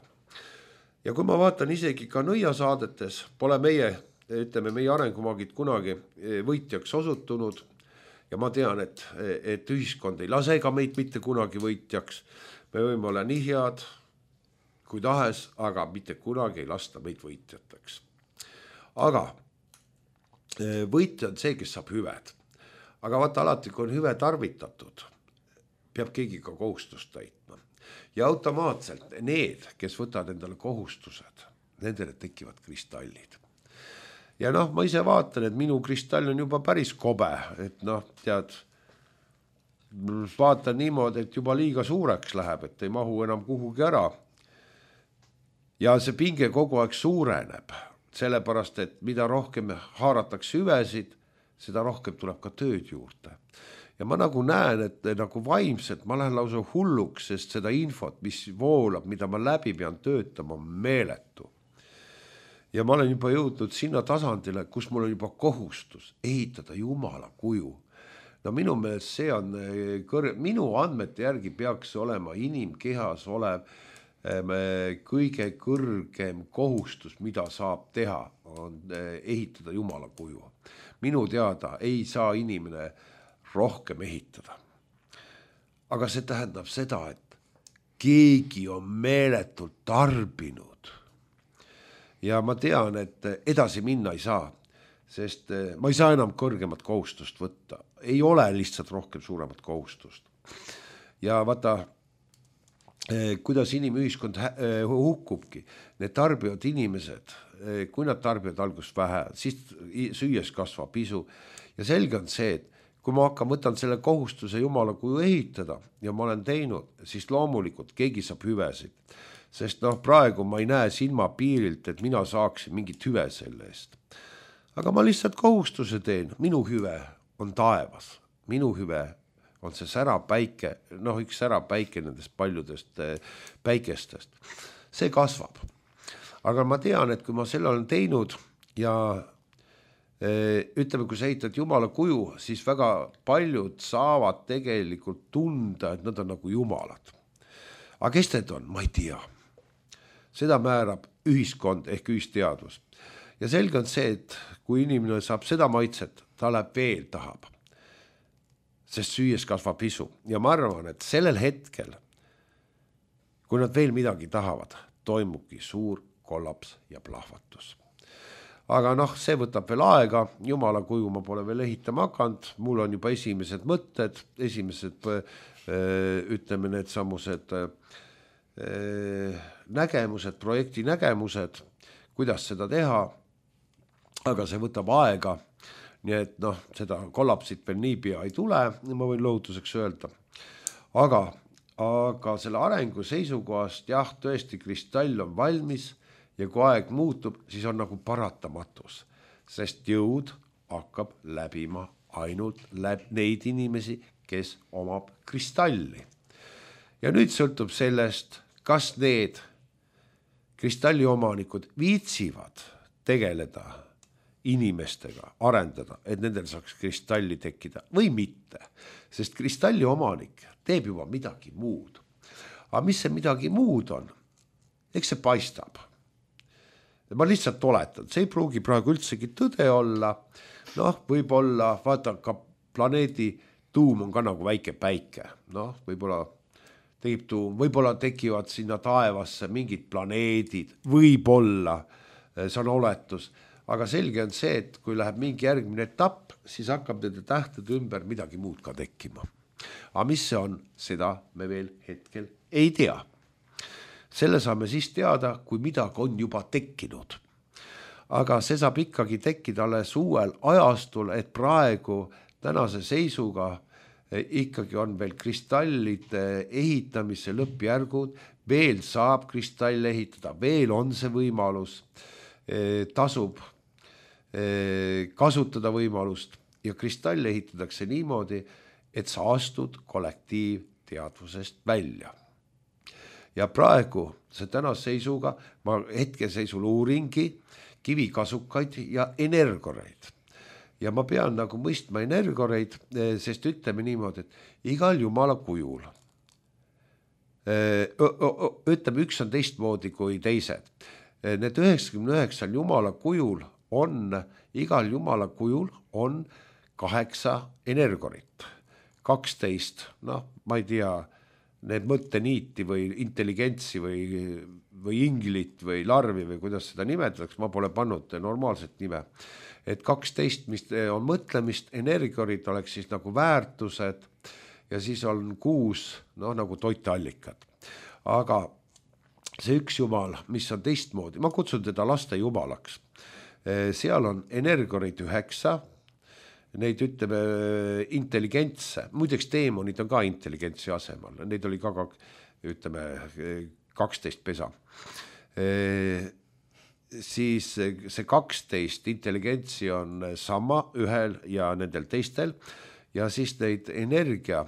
Ja kui ma vaatan isegi ka nõiasaadetes, pole meie arengumaagid kunagi võitjaks osutunud ja ma tean, et ühiskond ei lase ka meid mitte kunagi võitjaks. Me võime olla nii head kui tahes, aga mitte kunagi ei lasta meid võitjateks. Aga võitja on see, kes saab hüved. Aga vaata alati, kui on hüve tarvitatud, peab keegi ka kohustust täitma. Ja automaatselt need, kes võtavad endale kohustused, nendele tekivad kristallid. Ja ma ise vaatan, et minu kristall on juba päris kobe, et vaatan niimoodi, et juba liiga suureks läheb, et ei mahu enam kuhugi ära. Ja see pinge kogu aeg suureneb, sellepärast, et mida rohkem haaratakse hüvesid, seda rohkem tuleb ka tööd juurde. Ja ma nagu näen, et nagu vaimselt ma lähen lausa hulluks, sest seda infot, mis voolab, mida ma läbi pean töötama, on meeletu. Ja ma olen juba jõudnud sinna tasandile, kus mul on juba kohustus ehitada Jumala kuju. Minu meelest see on minu andmete järgi peaks olema inimkehas olev kõige kõrgem kohustus, mida saab teha, on ehitada Jumala kuju. Minu teada ei saa inimene rohkem ehitada. Aga see tähendab seda, et keegi on meeletult tarbinud. Ja ma tean, et edasi minna ei saa, sest ma ei saa enam kõrgemat kohustust võtta. Ei ole lihtsalt rohkem suuremat kohustust. Ja vaata, kuidas inimühiskond hukkubki. Need tarbivad inimesed, kui nad tarbivad algust vähe, siis süües kasvab isu. Ja selge on see, et kui ma võtan selle kohustuse Jumala kuju ehitada ja ma olen teinud, siis loomulikult keegi saab hüvesid. Sest praegu ma ei näe silma piirilt, et mina saaksin mingit hüve selle eest. Aga ma lihtsalt kohustuse teen. Minu hüve on taevas. Minu hüve on see särapäike, üks särapäike nendest paljudest päikestest. See kasvab. Aga ma tean, et kui ma selle olen teinud ja ütleme, kui sa ehitad Jumala kuju, siis väga paljud saavad tegelikult tunda, et nad on nagu Jumalad. Aga kes need on? Ma ei tea. Seda määrab ühiskond ehk ühisteadvus. Ja selge on see, et kui inimene saab seda maitset, ta läheb veel tahab. Sest süües kasvab isu. Ja ma arvan, et sellel hetkel, kui nad veel midagi tahavad, toimubki suur kollaps ja plahvatus. Aga see võtab veel aega, Jumala kuju ma pole veel ehitama hakanud, mul on juba esimesed mõtted, esimesed, ütleme, need samused nägemused, projekti nägemused, kuidas seda teha, aga see võtab aega. nii et noh, seda kollapsit veel niipea ei tule, ma võin lohutuseks öelda. Aga selle arengu seisukohast jah, tõesti kristall on valmis ja kui aeg muutub, siis on nagu paratamatus, sest jõud hakkab läbima ainult neid inimesi, kes omab kristalli. Ja nüüd sõltub sellest, kas need kristalli omanikud viitsivad tegeleda inimestega, arendada, et nendel saaks kristalli tekkida või mitte, sest kristalli omanik teeb juba midagi muud. Aga mis see midagi muud on? Eks see paistab. Ma lihtsalt oletan, see ei pruugi praegu üldsegi tõde olla, noh, võib-olla, vaata ka planeedi tuum on ka nagu väike päike, noh, võib-olla tekivad sinna taevasse mingid planeedid, võib-olla, see on oletus, aga selge on see, et kui läheb mingi järgmine etapp, siis hakkab nende tähtede ümber midagi muud ka tekkima. Aga mis see on, seda me veel hetkel ei tea. Selle saame siis teada, kui midagi on juba tekkinud. Aga see saab ikkagi tekkida alles uuel ajastul, et praegu tänase seisuga ikkagi on veel kristallide ehitamise lõppjärgud, veel saab kristall ehitada, veel on see võimalus, tasub kasutada võimalust ja kristall ehitatakse niimoodi, et sa astud kollektiivteadvusest välja. Ja praegu see tänase seisuga, ma hetkeseisul uuringi kivikasukaid ja energioreid. Ja ma pean nagu mõistma energioreid, sest ütleme niimoodi, et igal jumala kujul, ütleme üks on teistmoodi kui teised. Need 99 jumala kujul on, igal jumala kujul on 8 energiorit, 12, noh, ma ei tea, need mõtteniiti või intelligentsi või inglit või larvi või kuidas seda nimetatakse, ma pole pannud normaalset nime. Et 12, mis on mõtlemist, energiorid oleks siis nagu väärtused ja siis on 6, noh, nagu toiteallikad. Aga see üks jumal, mis on teistmoodi, ma kutsun teda laste jumalaks. Seal on energiorid 9, neid ütleme intelligentse, muideks teemonid on ka intelligentsi asemel, neid oli ka ütleme 12 pesa. Siis see 12 intelligentsi on sama ühel ja nendel teistel ja siis neid energia,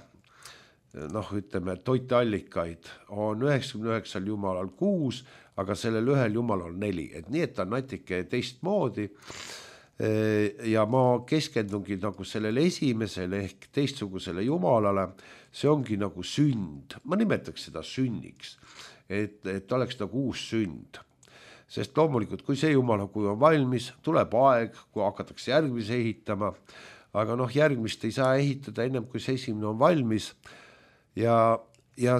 noh ütleme toiteallikaid on 99 jumalal 6, aga sellel ühel jumalal 4, et nii, et ta on natuke teistmoodi. Ja ma keskendungi nagu sellele esimesele ehk teistsugusele jumalale, see ongi nagu sünd, ma nimetaks seda sünniks, et oleks nagu uus sünd. Sest loomulikult, kui see jumala kui on valmis, tuleb aeg, kui hakatakse järgmise ehitama, aga noh, järgmist ei saa ehitada ennem, kui see esimene on valmis ja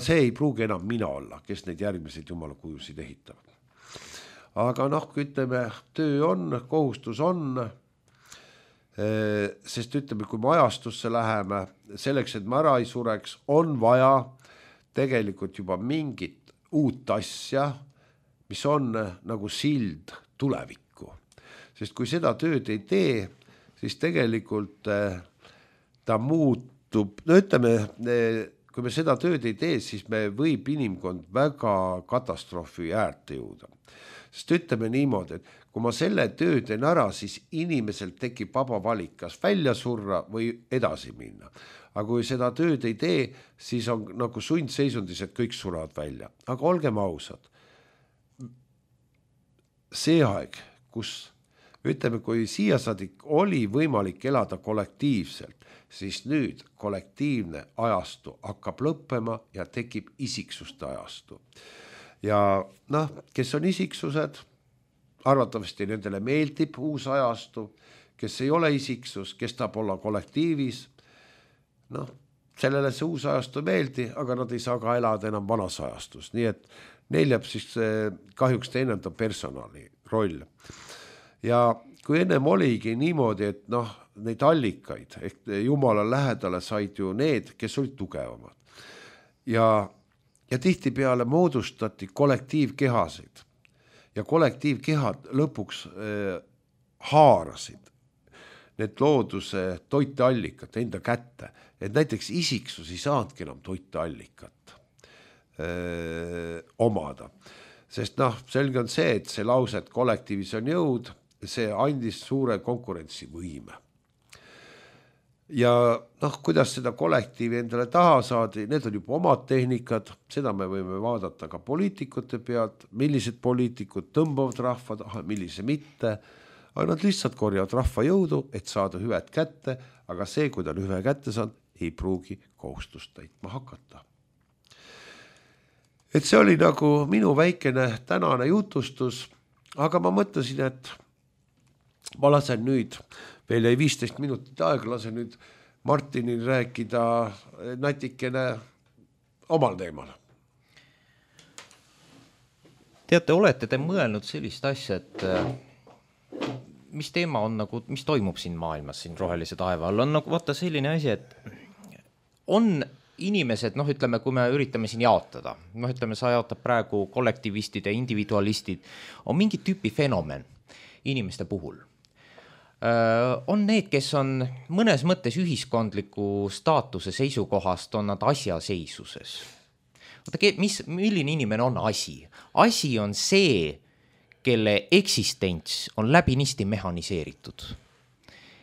see ei pruugi enam mina olla, kes neid järgmiseid jumala kujusid ehitab. Aga noh, kui ütleme, töö on, kohustus on, sest ütleme, kui me ajastusse läheme, selleks, et me ära ei sureks, on vaja tegelikult juba mingit uut asja, mis on nagu sild tulevikku. Sest kui seda tööd ei tee, siis tegelikult ta muutub, no ütleme, kui me seda tööd ei tee, siis me võib inimkond väga katastroofi äärte jõuda. Sest ütleme niimoodi, et kui ma selle töö teen ära, siis inimesel tekib vaba valik, kas välja surra või edasi minna. Aga kui seda tööd ei tee, siis on nagu sundseisundis, et kõik suravad välja. Aga olgem ausad, see aeg, kus ütleme, kui siiasaadik oli võimalik elada kollektiivselt, siis nüüd kollektiivne ajastu hakkab lõppema ja tekib isiksuste ajastu. Ja noh, kes on isiksused, arvatavasti nendele meeldib uus ajastu, kes ei ole isiksus, kes tahab olla kollektiivis, noh, sellele see uus ajastu meeldi, aga nad ei saa ka elada enam vanas ajastus, nii et neil jääb siis kahjuks teenenda personali roll. Ja kui ennem oligi niimoodi, et noh, neid allikaid ehk jumala lähedale said ju need, kes olid tugevamad. Ja tihtipeale moodustati kollektiivkehasid ja kollektiivkehad lõpuks haarasid need looduse toiteallikat enda kätte, et näiteks isiksus ei saanudki enam toiteallikat omada. Sest selge on see, et see lause, et kollektiivis on jõud, see andis suure konkurentsivõime. Ja kuidas seda kollektiivi endale taha saadi, need on juba omad tehnikad, seda me võime vaadata ka poliitikute pealt, millised poliitikud tõmbavad rahva taha, millise mitte, aga nad lihtsalt korjavad rahva jõudu, et saada hüved kätte, aga see, kui ta on hüve kätte saanud, ei pruugi kohustust täitma hakata. Et see oli nagu minu väikene tänane jutustus, aga ma mõtlesin, et ma lasen nüüd, veel jäi 15 minutit aega, lasen nüüd Martinil rääkida natikene omal teemal. Teate, olete te mõelnud sellist asja, et mis teema on nagu, mis toimub siin maailmas, siin rohelise taeva all, on nagu vaata selline asi, et on inimesed, ütleme, kui me üritame siin jaotada, ütleme, sa jaotad praegu kollektivistid ja individualistid, on mingi tüüpi fenomen inimeste puhul. On need, kes on mõnes mõttes ühiskondliku staatuse seisukohast, on nad asjaseisuses. Milline inimene on asi? Asi on see, kelle eksistents on läbinisti mehaniseeritud.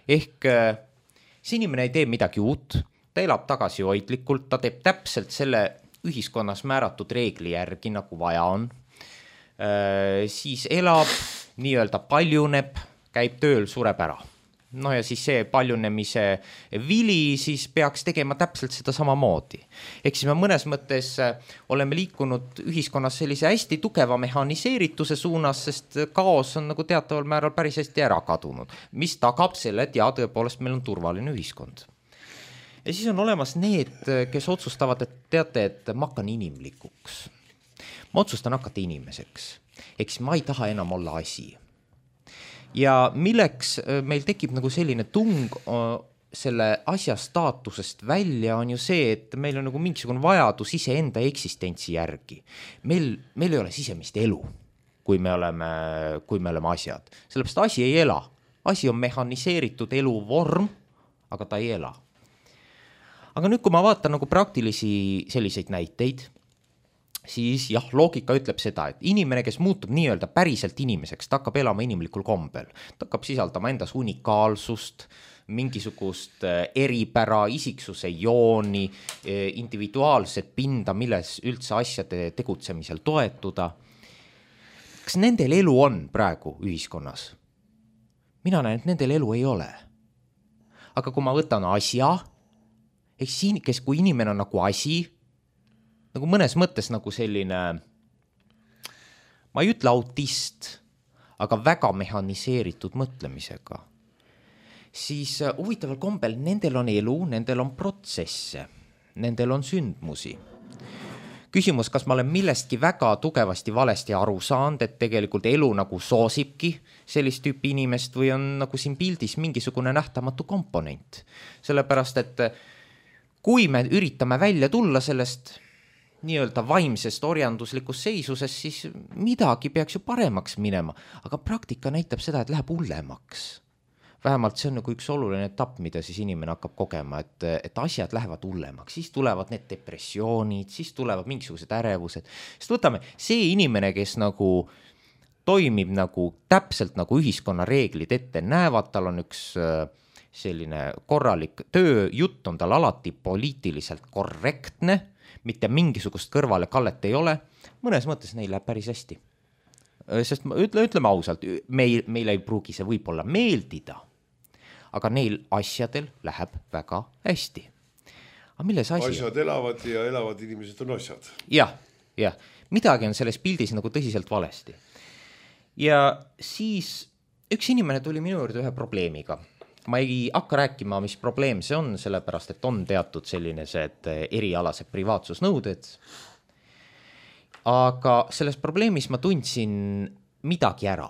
Ehk see inimene ei tee midagi uut, ta elab tagasihoidlikult, ta teeb täpselt selle ühiskonnas määratud reegli järgi, nagu vaja on. Siis elab, nii-öelda paljuneb, käib tööl, sureb ära. Ja siis see paljunemise vili siis peaks tegema täpselt seda samamoodi. Ehk siis me mõnes mõttes oleme liikunud ühiskonnas sellise hästi tugeva mehaniseerituse suunas, sest kaos on nagu teataval määral päris hästi ära kadunud, mis tagab selle, et tõepoolest meil on turvaline ühiskond. Ja siis on olemas need, kes otsustavad, et teate, et ma hakkan inimlikuks. Ma otsustan hakata inimeseks. Ehk siis ma ei taha enam olla asi. Ja milleks meil tekib nagu selline tung selle asja staatusest välja on ju see, et meil on nagu mingisugune vajadus iseenda eksistentsi järgi. Meil ei ole sisemist elu, kui me oleme asjad. Sellepärast asi ei ela. Asi on mehaniseeritud eluvorm, aga ta ei ela. Aga nüüd, kui ma vaatan nagu praktilisi selliseid näiteid, siis loogika ütleb seda, et inimene, kes muutub nii-öelda päriselt inimeseks, ta hakkab elama inimlikul kombel. Ta hakkab sisaldama endas unikaalsust, mingisugust eripära, isiksuse jooni, individuaalset pinda, milles üldse asjade tegutsemisel toetuda. Kas nendel elu on praegu ühiskonnas? Mina näen, et nendel elu ei ole. Aga kui ma võtan asja, kui inimene on nagu asi, nagu mõnes mõttes nagu selline, ma ei ütle autist, aga väga mehaniseeritud mõtlemisega, siis huvitaval kombel nendel on elu, nendel on protsesse, nendel on sündmusi. Küsimus, kas ma olen millestki väga tugevasti valesti aru saanud, et tegelikult elu nagu soosibki sellist tüüpi inimest või on nagu siin pildis mingisugune nähtamatu komponent. Sellepärast, et kui me üritame välja tulla sellest nii-öelda vaimsest orjanduslikust seisusest, siis midagi peaks ju paremaks minema, aga praktika näitab seda, et läheb hullemaks. Vähemalt see on nagu üks oluline etapp, mida siis inimene hakkab kogema, et asjad lähevad hullemaks, siis tulevad need depressioonid, siis tulevad mingisugused ärevused. Sest võtame, see inimene, kes nagu toimib nagu täpselt nagu ühiskonna reeglid ette näevad, tal on üks selline korralik tööjutt, on tal alati poliitiliselt korrektne, mitte mingisugust kõrvale kallet ei ole, mõnes mõttes neil läheb päris hästi. Sest ütleme ausalt, meil ei pruugi see võib-olla meeldida, aga neil asjadel läheb väga hästi. Aga milles asi? Asjad elavad ja elavad inimesed on asjad. Jah, midagi on selles pildis nagu tõsiselt valesti. Ja siis üks inimene tuli minu juurde ühe probleemiga. Ma ei hakka rääkima, mis probleem see on, sellepärast, et on teatud selline erialased privaatsusnõuded. Aga selles probleemis ma tundsin midagi ära.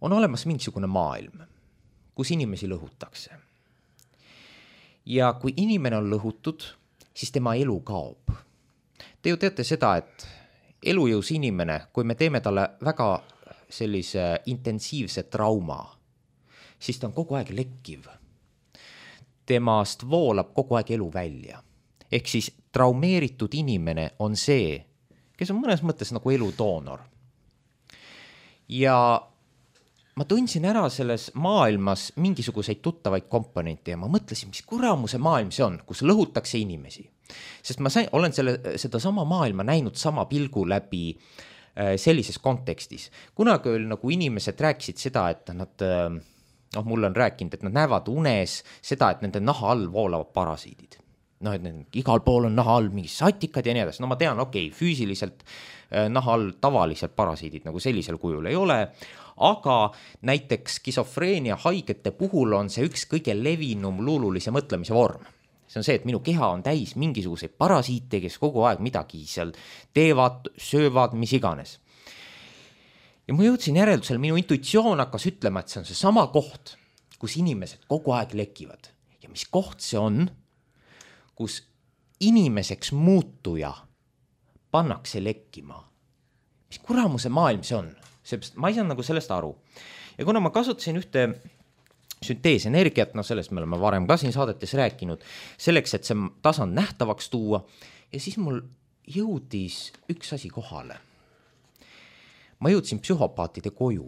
On olemas mingisugune maailm, kus inimesi lõhutakse. Ja kui inimene on lõhutud, siis tema elu kaob. Te ju teate seda, et elujõus inimene, kui me teeme talle väga sellise intensiivse trauma, siis ta on kogu aeg lekkiv. Temast voolab kogu aeg elu välja. Ehk siis traumeeritud inimene on see, kes on mõnes mõttes nagu eludoonor. Ja ma tundsin ära selles maailmas mingisuguseid tuttavaid komponente ja ma mõtlesin, mis kuramuse maailm see on, kus lõhutakse inimesi. Sest ma olen seda sama maailma näinud sama pilgu läbi sellises kontekstis. Kunagi oli nagu inimesed rääkisid seda, et nad, mulle on rääkinud, et nad näevad unes seda, et nende naha all voolavad parasiidid. Et igal pool on naha all mingi satikad ja nii edasi. Ma tean, füüsiliselt naha all tavaliselt parasiidid nagu sellisel kujul ei ole, aga näiteks skisofreenia haigete puhul on see üks kõige levinum luululise mõtlemise vorm. See on see, et minu keha on täis mingisuguseid parasiite, kes kogu aeg midagi seal teevad, söövad, mis iganes. Ja ma jõudsin järeldusel, minu intuitsioon hakkas ütlema, et see on see sama koht, kus inimesed kogu aeg lekivad. Ja mis koht see on, kus inimeseks muutuja pannakse lekkima. Mis kuramuse maailm see on? Ma ei saa nagu sellest aru. Ja kuna ma kasutasin ühte sünteesenergiat, sellest me oleme varem ka siin saadetes rääkinud, selleks, et see tasand nähtavaks tuua, ja siis mul jõudis üks asi kohale. Ma jõudsin psühhopaatide koju.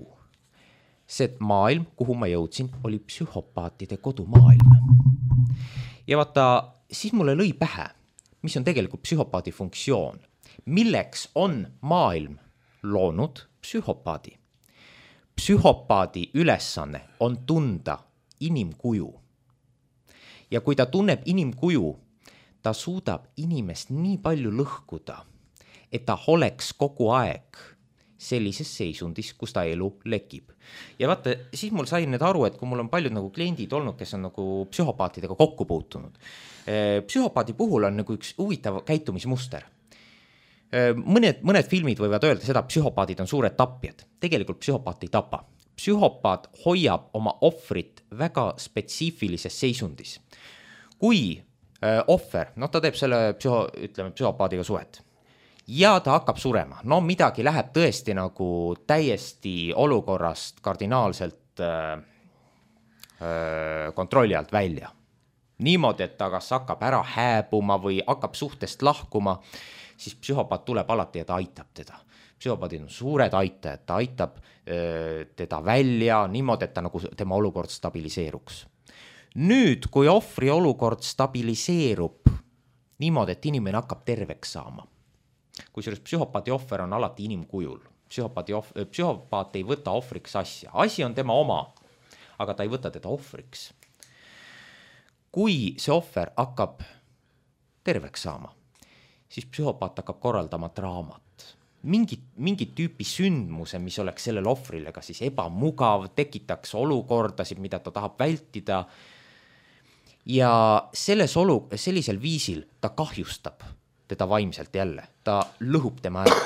See maailm, kuhu ma jõudsin, oli psühhopaatide kodumaailm. Ja vaata, siis mulle lõi pähe, mis on tegelikult psühhopaadi funktsioon. Milleks on maailm loonud psühhopaadi? Psühhopaadi ülesanne on tunda inimkuju. Ja kui ta tunneb inimkuju, ta suudab inimest nii palju lõhkuda, et ta oleks kogu aeg sellises seisundis, kus ta elu lekib. Ja vaata, siis mul sai nüüd aru, et kui mul on paljud nagu kliendid olnud, kes on nagu psühhopaatidega kokku puutunud. Psühhopaadi puhul on nagu üks huvitav käitumismuster. Mõned filmid võivad öelda seda, et psühhopaadid on suured tapjad. Tegelikult psühhopaat ei tapa. Psühhopaat hoiab oma ohvrit väga spetsiifilises seisundis. Kui ohver, ta teeb selle psühhopaadiga suhet ja ta hakkab surema, midagi läheb tõesti nagu täiesti olukorrast kardinaalselt kontrolli alt välja. Niimoodi, et ta kas hakkab ära hääbuma või hakkab suhtest lahkuma, siis psühhopaat tuleb alati ja ta aitab teda. Psühhopaadid on suured aitajad, ta aitab teda välja niimoodi, et ta nagu tema olukord stabiliseeruks. Nüüd, kui ohvri olukord stabiliseerub niimoodi, et inimene hakkab terveks saama, kusjuures psühhopaadi ohver on alati inimkujul. Psühhopaat ei võta ohvriks asja. Asi on tema oma, aga ta ei võta teda ohvriks. Kui see ohver hakkab terveks saama, siis psühhopaat hakkab korraldama draamat. Mingit tüüpi sündmuse, mis oleks sellele ohvrile ka siis ebamugav, tekitaks olukordasid, mida ta tahab vältida. Ja sellisel viisil ta kahjustab teda vaimselt jälle. Ta lõhub tema ära.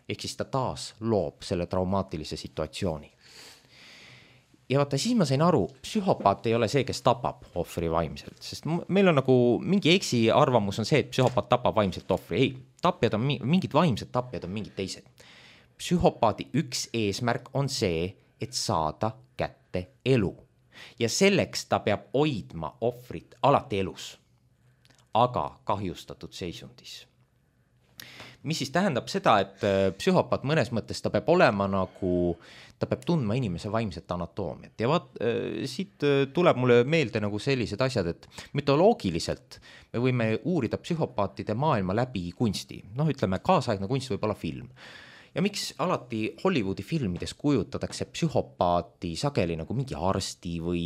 Ehk siis ta taas loob selle traumaatilise situatsiooni. Ja vaata, siis ma sain aru, psühhopaat ei ole see, kes tapab ohvri vaimselt, sest meil on nagu mingi eksi arvamus on see, et psühhopaat tapab vaimselt ohvri. Ei, tapjad on mingid vaimsed tapjad on mingid teised. Psühhopaadi üks eesmärk on see, et saada kätte elu. Ja selleks ta peab hoidma ohvrit alati elus, aga kahjustatud seisundis. Mis siis tähendab seda, et psühhopaat mõnes mõttes ta peab olema nagu, ta peab tundma inimese vaimset anatoomiat. Ja siit tuleb mulle meelde nagu sellised asjad, et mütoloogiliselt me võime uurida psühhopaatide maailma läbi kunsti. Ütleme, kaasaegne kunst võib olla film. Ja miks alati Hollywoodi filmides kujutatakse psühhopaati sageli nagu mingi arsti või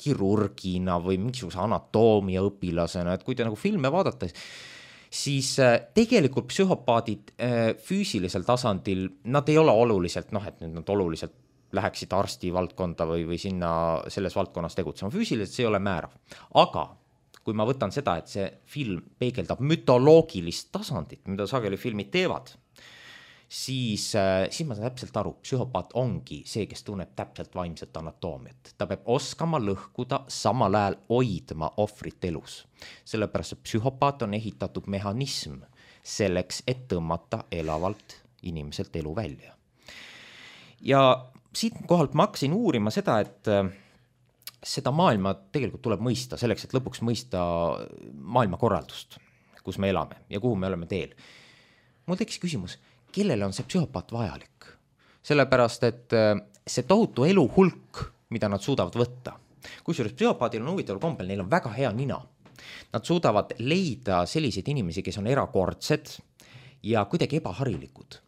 kirurgina või mingisuguse anatoomia õpilasena, et kui te nagu filme vaadata, siis tegelikult psühhopaadid füüsilisel tasandil, nad ei ole oluliselt, et nad oluliselt läheksid arsti valdkonda või sinna selles valdkonnas tegutsema. Füüsiliselt see ei ole määrav. Aga kui ma võtan seda, et see film peegeldab mütoloogilist tasandit, mida sageli filmid teevad, siis ma saan täpselt aru, psühhopaat ongi see, kes tunneb täpselt vaimset anatoomiat. Ta peab oskama lõhkuda, samal ajal hoidma ohvrit elus. Sellepärast, et psühhopaat on ehitatud mehhanism selleks, et tõmmata elavalt inimeselt elu välja. Ja siit kohalt ma hakkasin uurima seda, et seda maailma tegelikult tuleb mõista selleks, et lõpuks mõista maailmakorraldust, kus me elame ja kuhu me oleme teel. Mul tekkis küsimus, kellele on see psühhopaat vajalik? Sellepärast, et see tohutu elu hulk, mida nad suudavad võtta. Kusjuures psühhopaadil on huvitaval kombel, neil on väga hea nina. Nad suudavad leida selliseid inimesi, kes on erakordsed ja kuidagi ebaharilikud.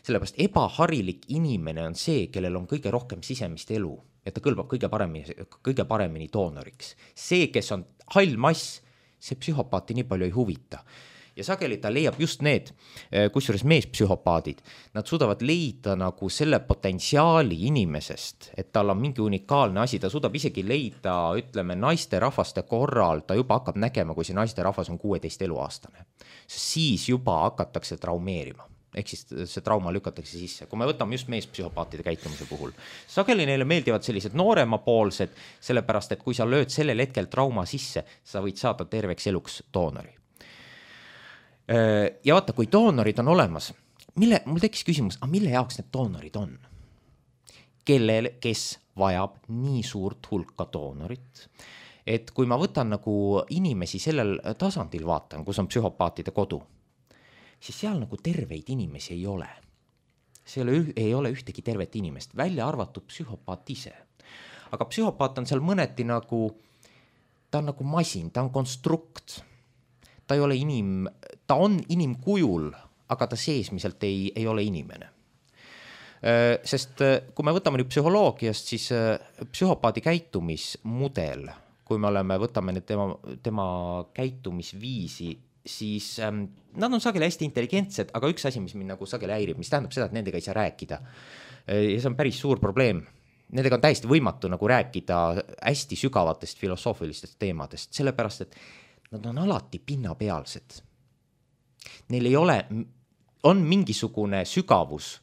Sellepärast ebaharilik inimene on see, kellel on kõige rohkem sisemist elu ja ta kõlbab kõige paremini doonoriks. See, kes on hall mass, see psühhopaati nii palju ei huvita. Ja sageli ta leiab just need, kusjuures meespsühhopaadid, nad suudavad leida nagu selle potentsiaali inimesest, et tal on mingi unikaalne asi, ta suudab isegi leida, ütleme, naiste rahvaste korral, ta juba hakkab nägema, kui see naiste rahvas on 16 eluaastane. Siis juba hakatakse traumeerima. Ehk siis see trauma lükatakse sisse. Kui me võtame just meespsühhopaatide käitumise puhul, sageli neile meeldivad sellised nooremapoolsed, sellepärast, et kui sa lööd sellel hetkel trauma sisse, sa võid saada terveks eluks doonori. Ja vaata, kui doonorid on olemas, mul tekkis küsimus, mille jaoks need doonorid on? Kes vajab nii suurt hulka doonorit, et kui ma võtan nagu inimesi sellel tasandil vaatan, kus on psühhopaatide kodu, siis seal nagu terveid inimesi ei ole. Ei ole ühtegi tervet inimest, välja arvatud psühhopaat ise. Aga psühhopaat on seal mõneti nagu, ta on nagu masin, ta on konstrukt. Ta ei ole ta on inimkujul, aga ta seesmiselt ei ole inimene. Sest kui me võtame nüüd psühholoogiast, siis psühhopaadi käitumismudel, kui me võtame nüüd tema käitumisviisi, siis nad on sageli hästi intelligentsed, aga üks asi, mis mind nagu sageli häirib, mis tähendab seda, et nendega ei saa rääkida. Ja see on päris suur probleem. Nendega on täiesti võimatu nagu rääkida hästi sügavatest filosoofilistest teemadest, sellepärast, et nad on alati pinnapealsed. Neil ei ole, on mingisugune sügavus,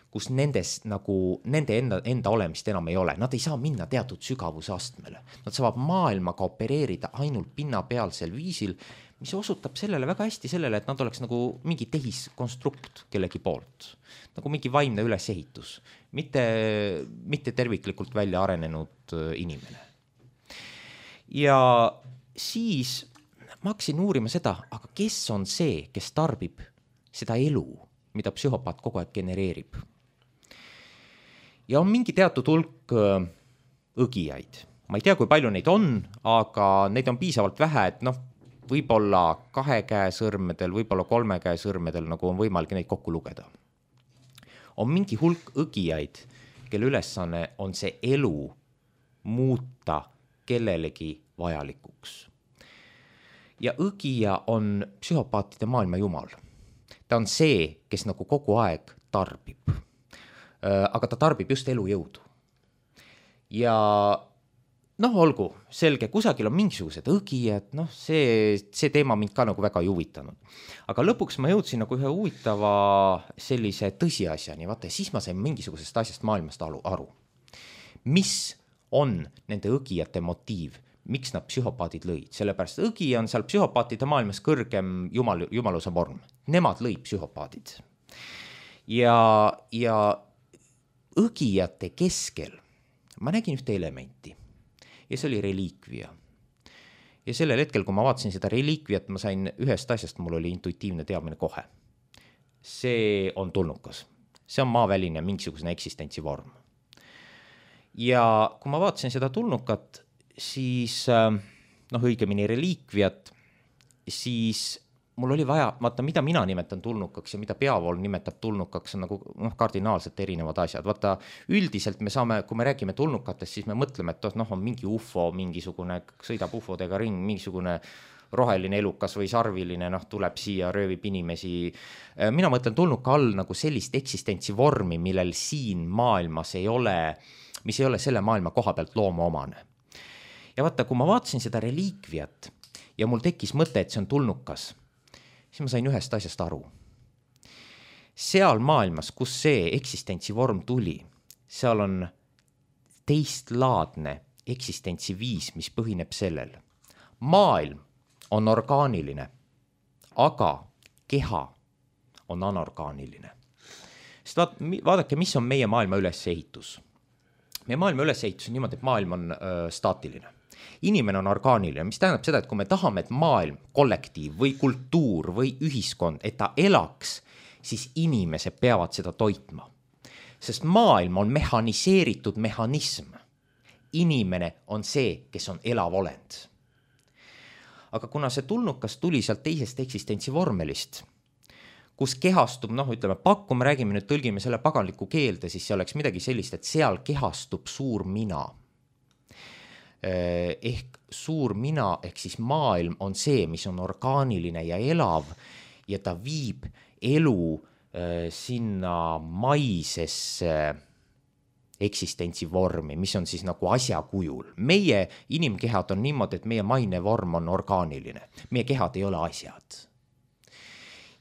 kus nende enda olemist enam ei ole. Nad ei saa minna teatud sügavuse astmele. Nad saavad maailmaga opereerida ainult pinnapealsel viisil, mis osutab sellele väga hästi sellele, et nad oleks nagu mingi tehiskonstrukt kellegi poolt. Nagu mingi vaimne ülesehitus, mitte terviklikult välja arenenud inimene. Ja siis ma hakkasin uurima seda, aga kes on see, kes tarbib seda elu, mida psühhopaat kogu aeg genereerib. Ja on mingi teatud hulk õgijaid. Ma ei tea, kui palju neid on, aga neid on piisavalt vähe, et võib-olla 2 käe sõrmedel, võib-olla 3 käe sõrmedel, nagu on võimalik neid kokku lugeda. On mingi hulk õgijaid, kelle ülesanne on see elu muuta kellelegi vajalikuks. Ja õgija on psühhopaatide maailma jumal. Ta on see, kes nagu kogu aeg tarbib. Aga ta tarbib just elujõudu. Ja olgu, selge, kusagil on mingisugused õgijad, see teema mind ka nagu väga ei huvitanud. Aga lõpuks ma jõudsin nagu ühe huvitava sellise tõsiasjani, vaata, ja siis ma sain mingisugusest asjast maailmast aru. Mis on nende õgijate motiiv? Miks nad psühhopaadid lõid? Sellepärast õgija on seal psühhopaatide maailmas kõrgem jumaluse vorm. Nemad lõid psühhopaadid. Ja õgijate keskel ma nägin ühte elementi ja see oli reliikvia. Ja sellel hetkel, kui ma vaatasin seda reliikviat, ma sain ühest asjast, mul oli intuitiivne teadmine kohe. See on tulnukas. See on maaväline mingisugune eksistentsivorm. Ja kui ma vaatasin seda tulnukat, siis õigemini reliikviat, siis mul oli vaja, vaata, mida mina nimetan tulnukaks ja mida peavool nimetab tulnukaks, on nagu kardinaalselt erinevad asjad. Vaata, üldiselt me saame, kui me räägime tulnukatest, siis me mõtleme, et on mingi UFO, mingisugune sõidab UFO-dega ring, mingisugune roheline elukas või sarviline, tuleb siia, röövib inimesi. Mina mõtlen tulnuka all nagu sellist eksistentsivormi, millel siin maailmas mis ei ole selle maailma koha pealt loomaomane. Ja vaata, kui ma vaatasin seda reliikviat ja mul tekkis mõte, et see on tulnukas, siis ma sain ühest asjast aru. Seal maailmas, kus see eksistentsivorm tuli, seal on teistlaadne eksistentsiviis, mis põhineb sellel. Maailm on orgaaniline, aga keha on anorgaaniline. Sest vaadake, mis on meie maailma ülesehitus. meie maailma ülesehitus on niimoodi, et maailm on staatiline. Inimene on orgaaniline, mis tähendab seda, et kui me tahame, et maailm, kollektiiv või kultuur või ühiskond, et ta elaks, siis inimesed peavad seda toitma. Sest maailm on mehhaniseeritud mehhanism. Inimene on see, kes on elav olend. Aga kuna see tulnukas tuli sealt teisest eksistentsivormelist, kus kehastub, ütleme, me räägime nüüd, tõlgime selle paganliku keelde, siis see oleks midagi sellist, et seal kehastub suur mina. Ehk suur mina, ehk siis maailm on see, mis on orgaaniline ja elav ja ta viib elu sinna maisesse eksistentsivormi, mis on siis nagu asjakujul. Meie inimkehad on niimoodi, et meie maine vorm on orgaaniline. Meie kehad ei ole asjad.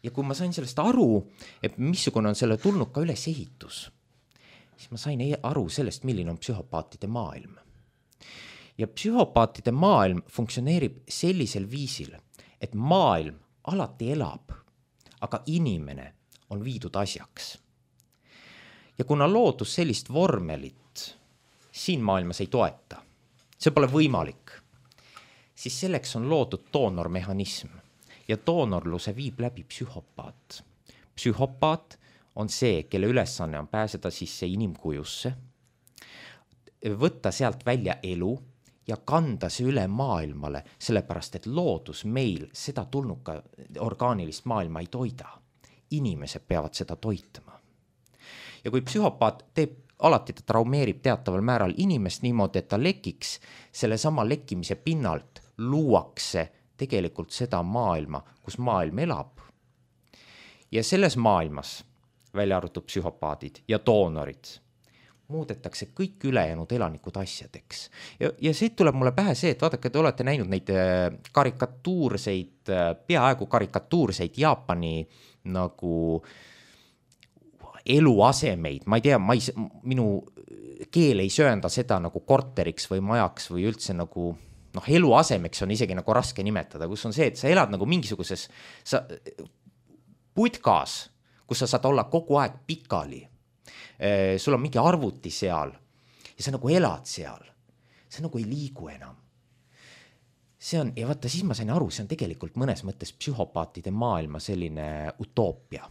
Ja kui ma sain sellest aru, et missugune on selle tulnuka ülesehitus, siis ma sain aru sellest, milline on psühhopaatide maailm. Ja psühhopaatide maailm funktsioneerib sellisel viisil, et maailm alati elab, aga inimene on viidud asjaks. Ja kuna loodus sellist vormelit siin maailmas ei toeta, see pole võimalik, siis selleks on loodud doonormehhanism ja doonorluse viib läbi psühhopaat. Psühhopaat on see, kelle ülesanne on pääseda sisse inimkujusse, võtta sealt välja elu ja kanda see üle maailmale, sellepärast et loodus meil seda tulnuka orgaanilist maailma ei toida. Inimesed peavad seda toitma. Ja kui psühhopaat teeb, alati ta traumeerib teataval määral inimest niimoodi, et ta lekiks, selle sama lekkimise pinnalt luuakse tegelikult seda maailma, kus maailm elab. Ja selles maailmas, välja arvatud psühhopaadid ja doonorid, muudetakse kõik ülejäänud elanikud asjadeks. Ja siit tuleb mulle pähe see, et vaadake, te olete näinud neid peaaegu karikatuurseid Jaapani nagu eluasemeid, ma ei tea, minu keel ei söönda seda nagu korteriks või majaks või üldse nagu, eluasemeks on isegi nagu raske nimetada, kus on see, et sa elad nagu mingisuguses putkas, kus sa saad olla kogu aeg pikali. Sul on mingi arvuti seal ja sa nagu elad seal, sa nagu ei liigu enam. See on, ja vaata, siis ma sain aru, see on tegelikult mõnes mõttes psühhopaatide maailma selline utoopia.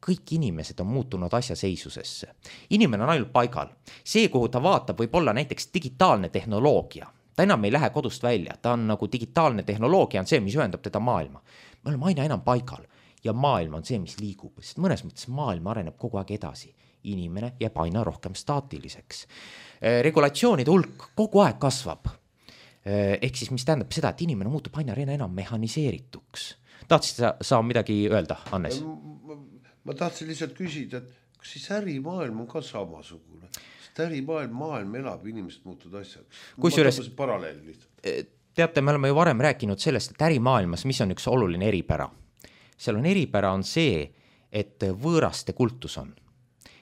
Kõik inimesed on muutunud asjaseisusesse. Inimene on ainult paigal. See, kuhu ta vaatab, võib olla näiteks digitaalne tehnoloogia. Ta enam ei lähe kodust välja. Ta on nagu digitaalne tehnoloogia on see, mis ühendab teda maailma. Me oleme aina enam paigal ja maailm on see, mis liigub. Sest mõnes mõttes maailm areneb kogu aeg edasi. Inimene jääb aina rohkem staatiliseks. Regulatsioonide hulk kogu aeg kasvab. Ehk siis, mis tähendab seda, et inimene muutub aina enam mehhaniseerituks. Tahtsid sa midagi öelda, Hannes? Ma tahtsin lihtsalt küsida, et kas siis ärimaailm on ka samasugune? Sest ärimaailm elab, inimesed muutud asjad. Kusjuures, paralleel lihtsalt. Teate, me oleme ju varem rääkinud sellest, et ärimaailmas, mis on üks oluline eripära? Seal on eripära on see, et võõraste kultus on.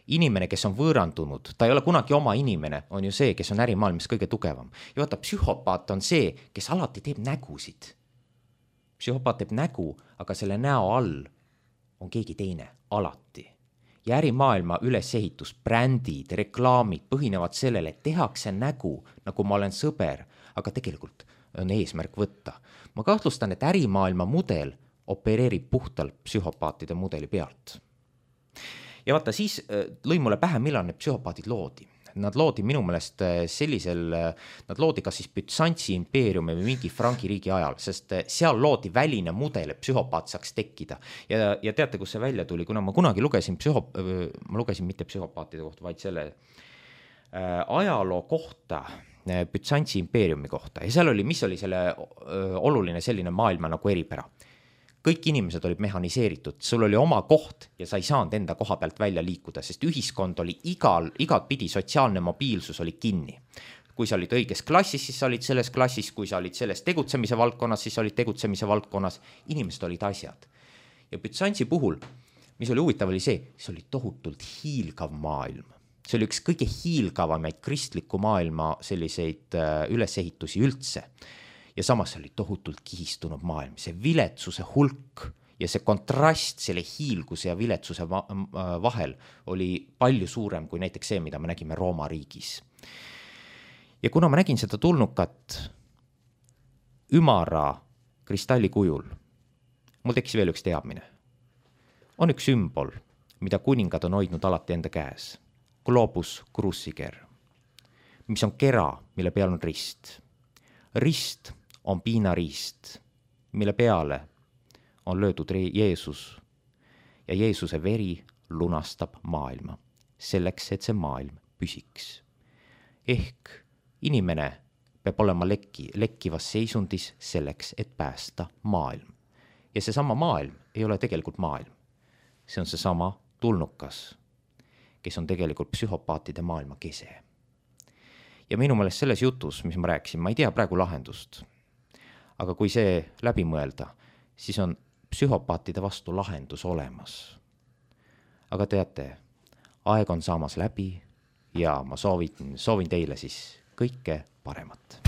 Inimene, kes on võõrandunud, ta ei ole kunagi oma inimene, on ju see, kes on ärimaailmas kõige tugevam. Ja vaata, psühhopaat on see, kes alati teeb nägusid. Psühhopaat teeb nägu, aga selle näo all on keegi teine, alati. Ja ärimaailma ülesehitus, brändid, reklaamid põhinevad sellele, et tehakse nägu, nagu ma olen sõber, aga tegelikult on eesmärk võtta. Ma kahtlustan, et ärimaailma mudel opereerib puhtalt psühhopaatide mudeli pealt. Ja vaata, siis lõi mulle pähe, millal need psühhopaadid loodi. Nad loodi minu meelest nad loodi kas siis Bütsantsi impeeriumi või mingi Franki riigi ajal, sest seal loodi väline mudel, et psühhopaat saaks tekkida. Ja teate, kus see välja tuli, kuna ma kunagi lugesin ma lugesin mitte psühhopaatide kohta, vaid selle ajaloo kohta, Bütsantsi impeeriumi kohta. Ja seal oli, mis oli selle oluline selline maailma nagu eripära. Kõik inimesed olid mehhaniseeritud, sul oli oma koht ja sa ei saanud enda koha pealt välja liikuda, sest ühiskond oli igat pidi, sotsiaalne mobiilsus oli kinni. Kui sa olid õiges klassis, siis sa olid selles klassis, kui sa olid selles tegutsemise valdkonnas, siis sa olid tegutsemise valdkonnas, inimesed olid asjad. Ja Bütsantsi puhul, mis oli huvitav, oli see oli tohutult hiilgav maailm. See oli üks kõige hiilgavamaid kristliku maailma selliseid ülesehitusi üldse. Ja samas oli tohutult kihistunud maailm, see viletsuse hulk ja see kontrast selle hiilguse ja viletsuse vahel oli palju suurem kui näiteks see, mida me nägime Rooma riigis. Ja kuna ma nägin seda tulnukat ümara kristalli kujul, mul tekkis veel üks teadmine. On üks sümbol, mida kuningad on hoidnud alati enda käes. Globus cruciger, mis on kera, mille peal on rist. Rist on piinariist, mille peale on löödud Jeesus ja Jeesuse veri lunastab maailma, selleks, et see maailm püsiks. Ehk inimene peab olema lekkivas seisundis selleks, et päästa maailm. Ja seesama maailm ei ole tegelikult maailm. See on seesama tulnukas, kes on tegelikult psühhopaatide maailma kese. Ja minu meelest selles jutus, mis ma rääkisin, ma ei tea praegu lahendust. Aga kui see läbi mõelda, siis on psühhopaatide vastu lahendus olemas. Aga teate, aeg on saamas läbi ja ma soovin teile siis kõike paremat.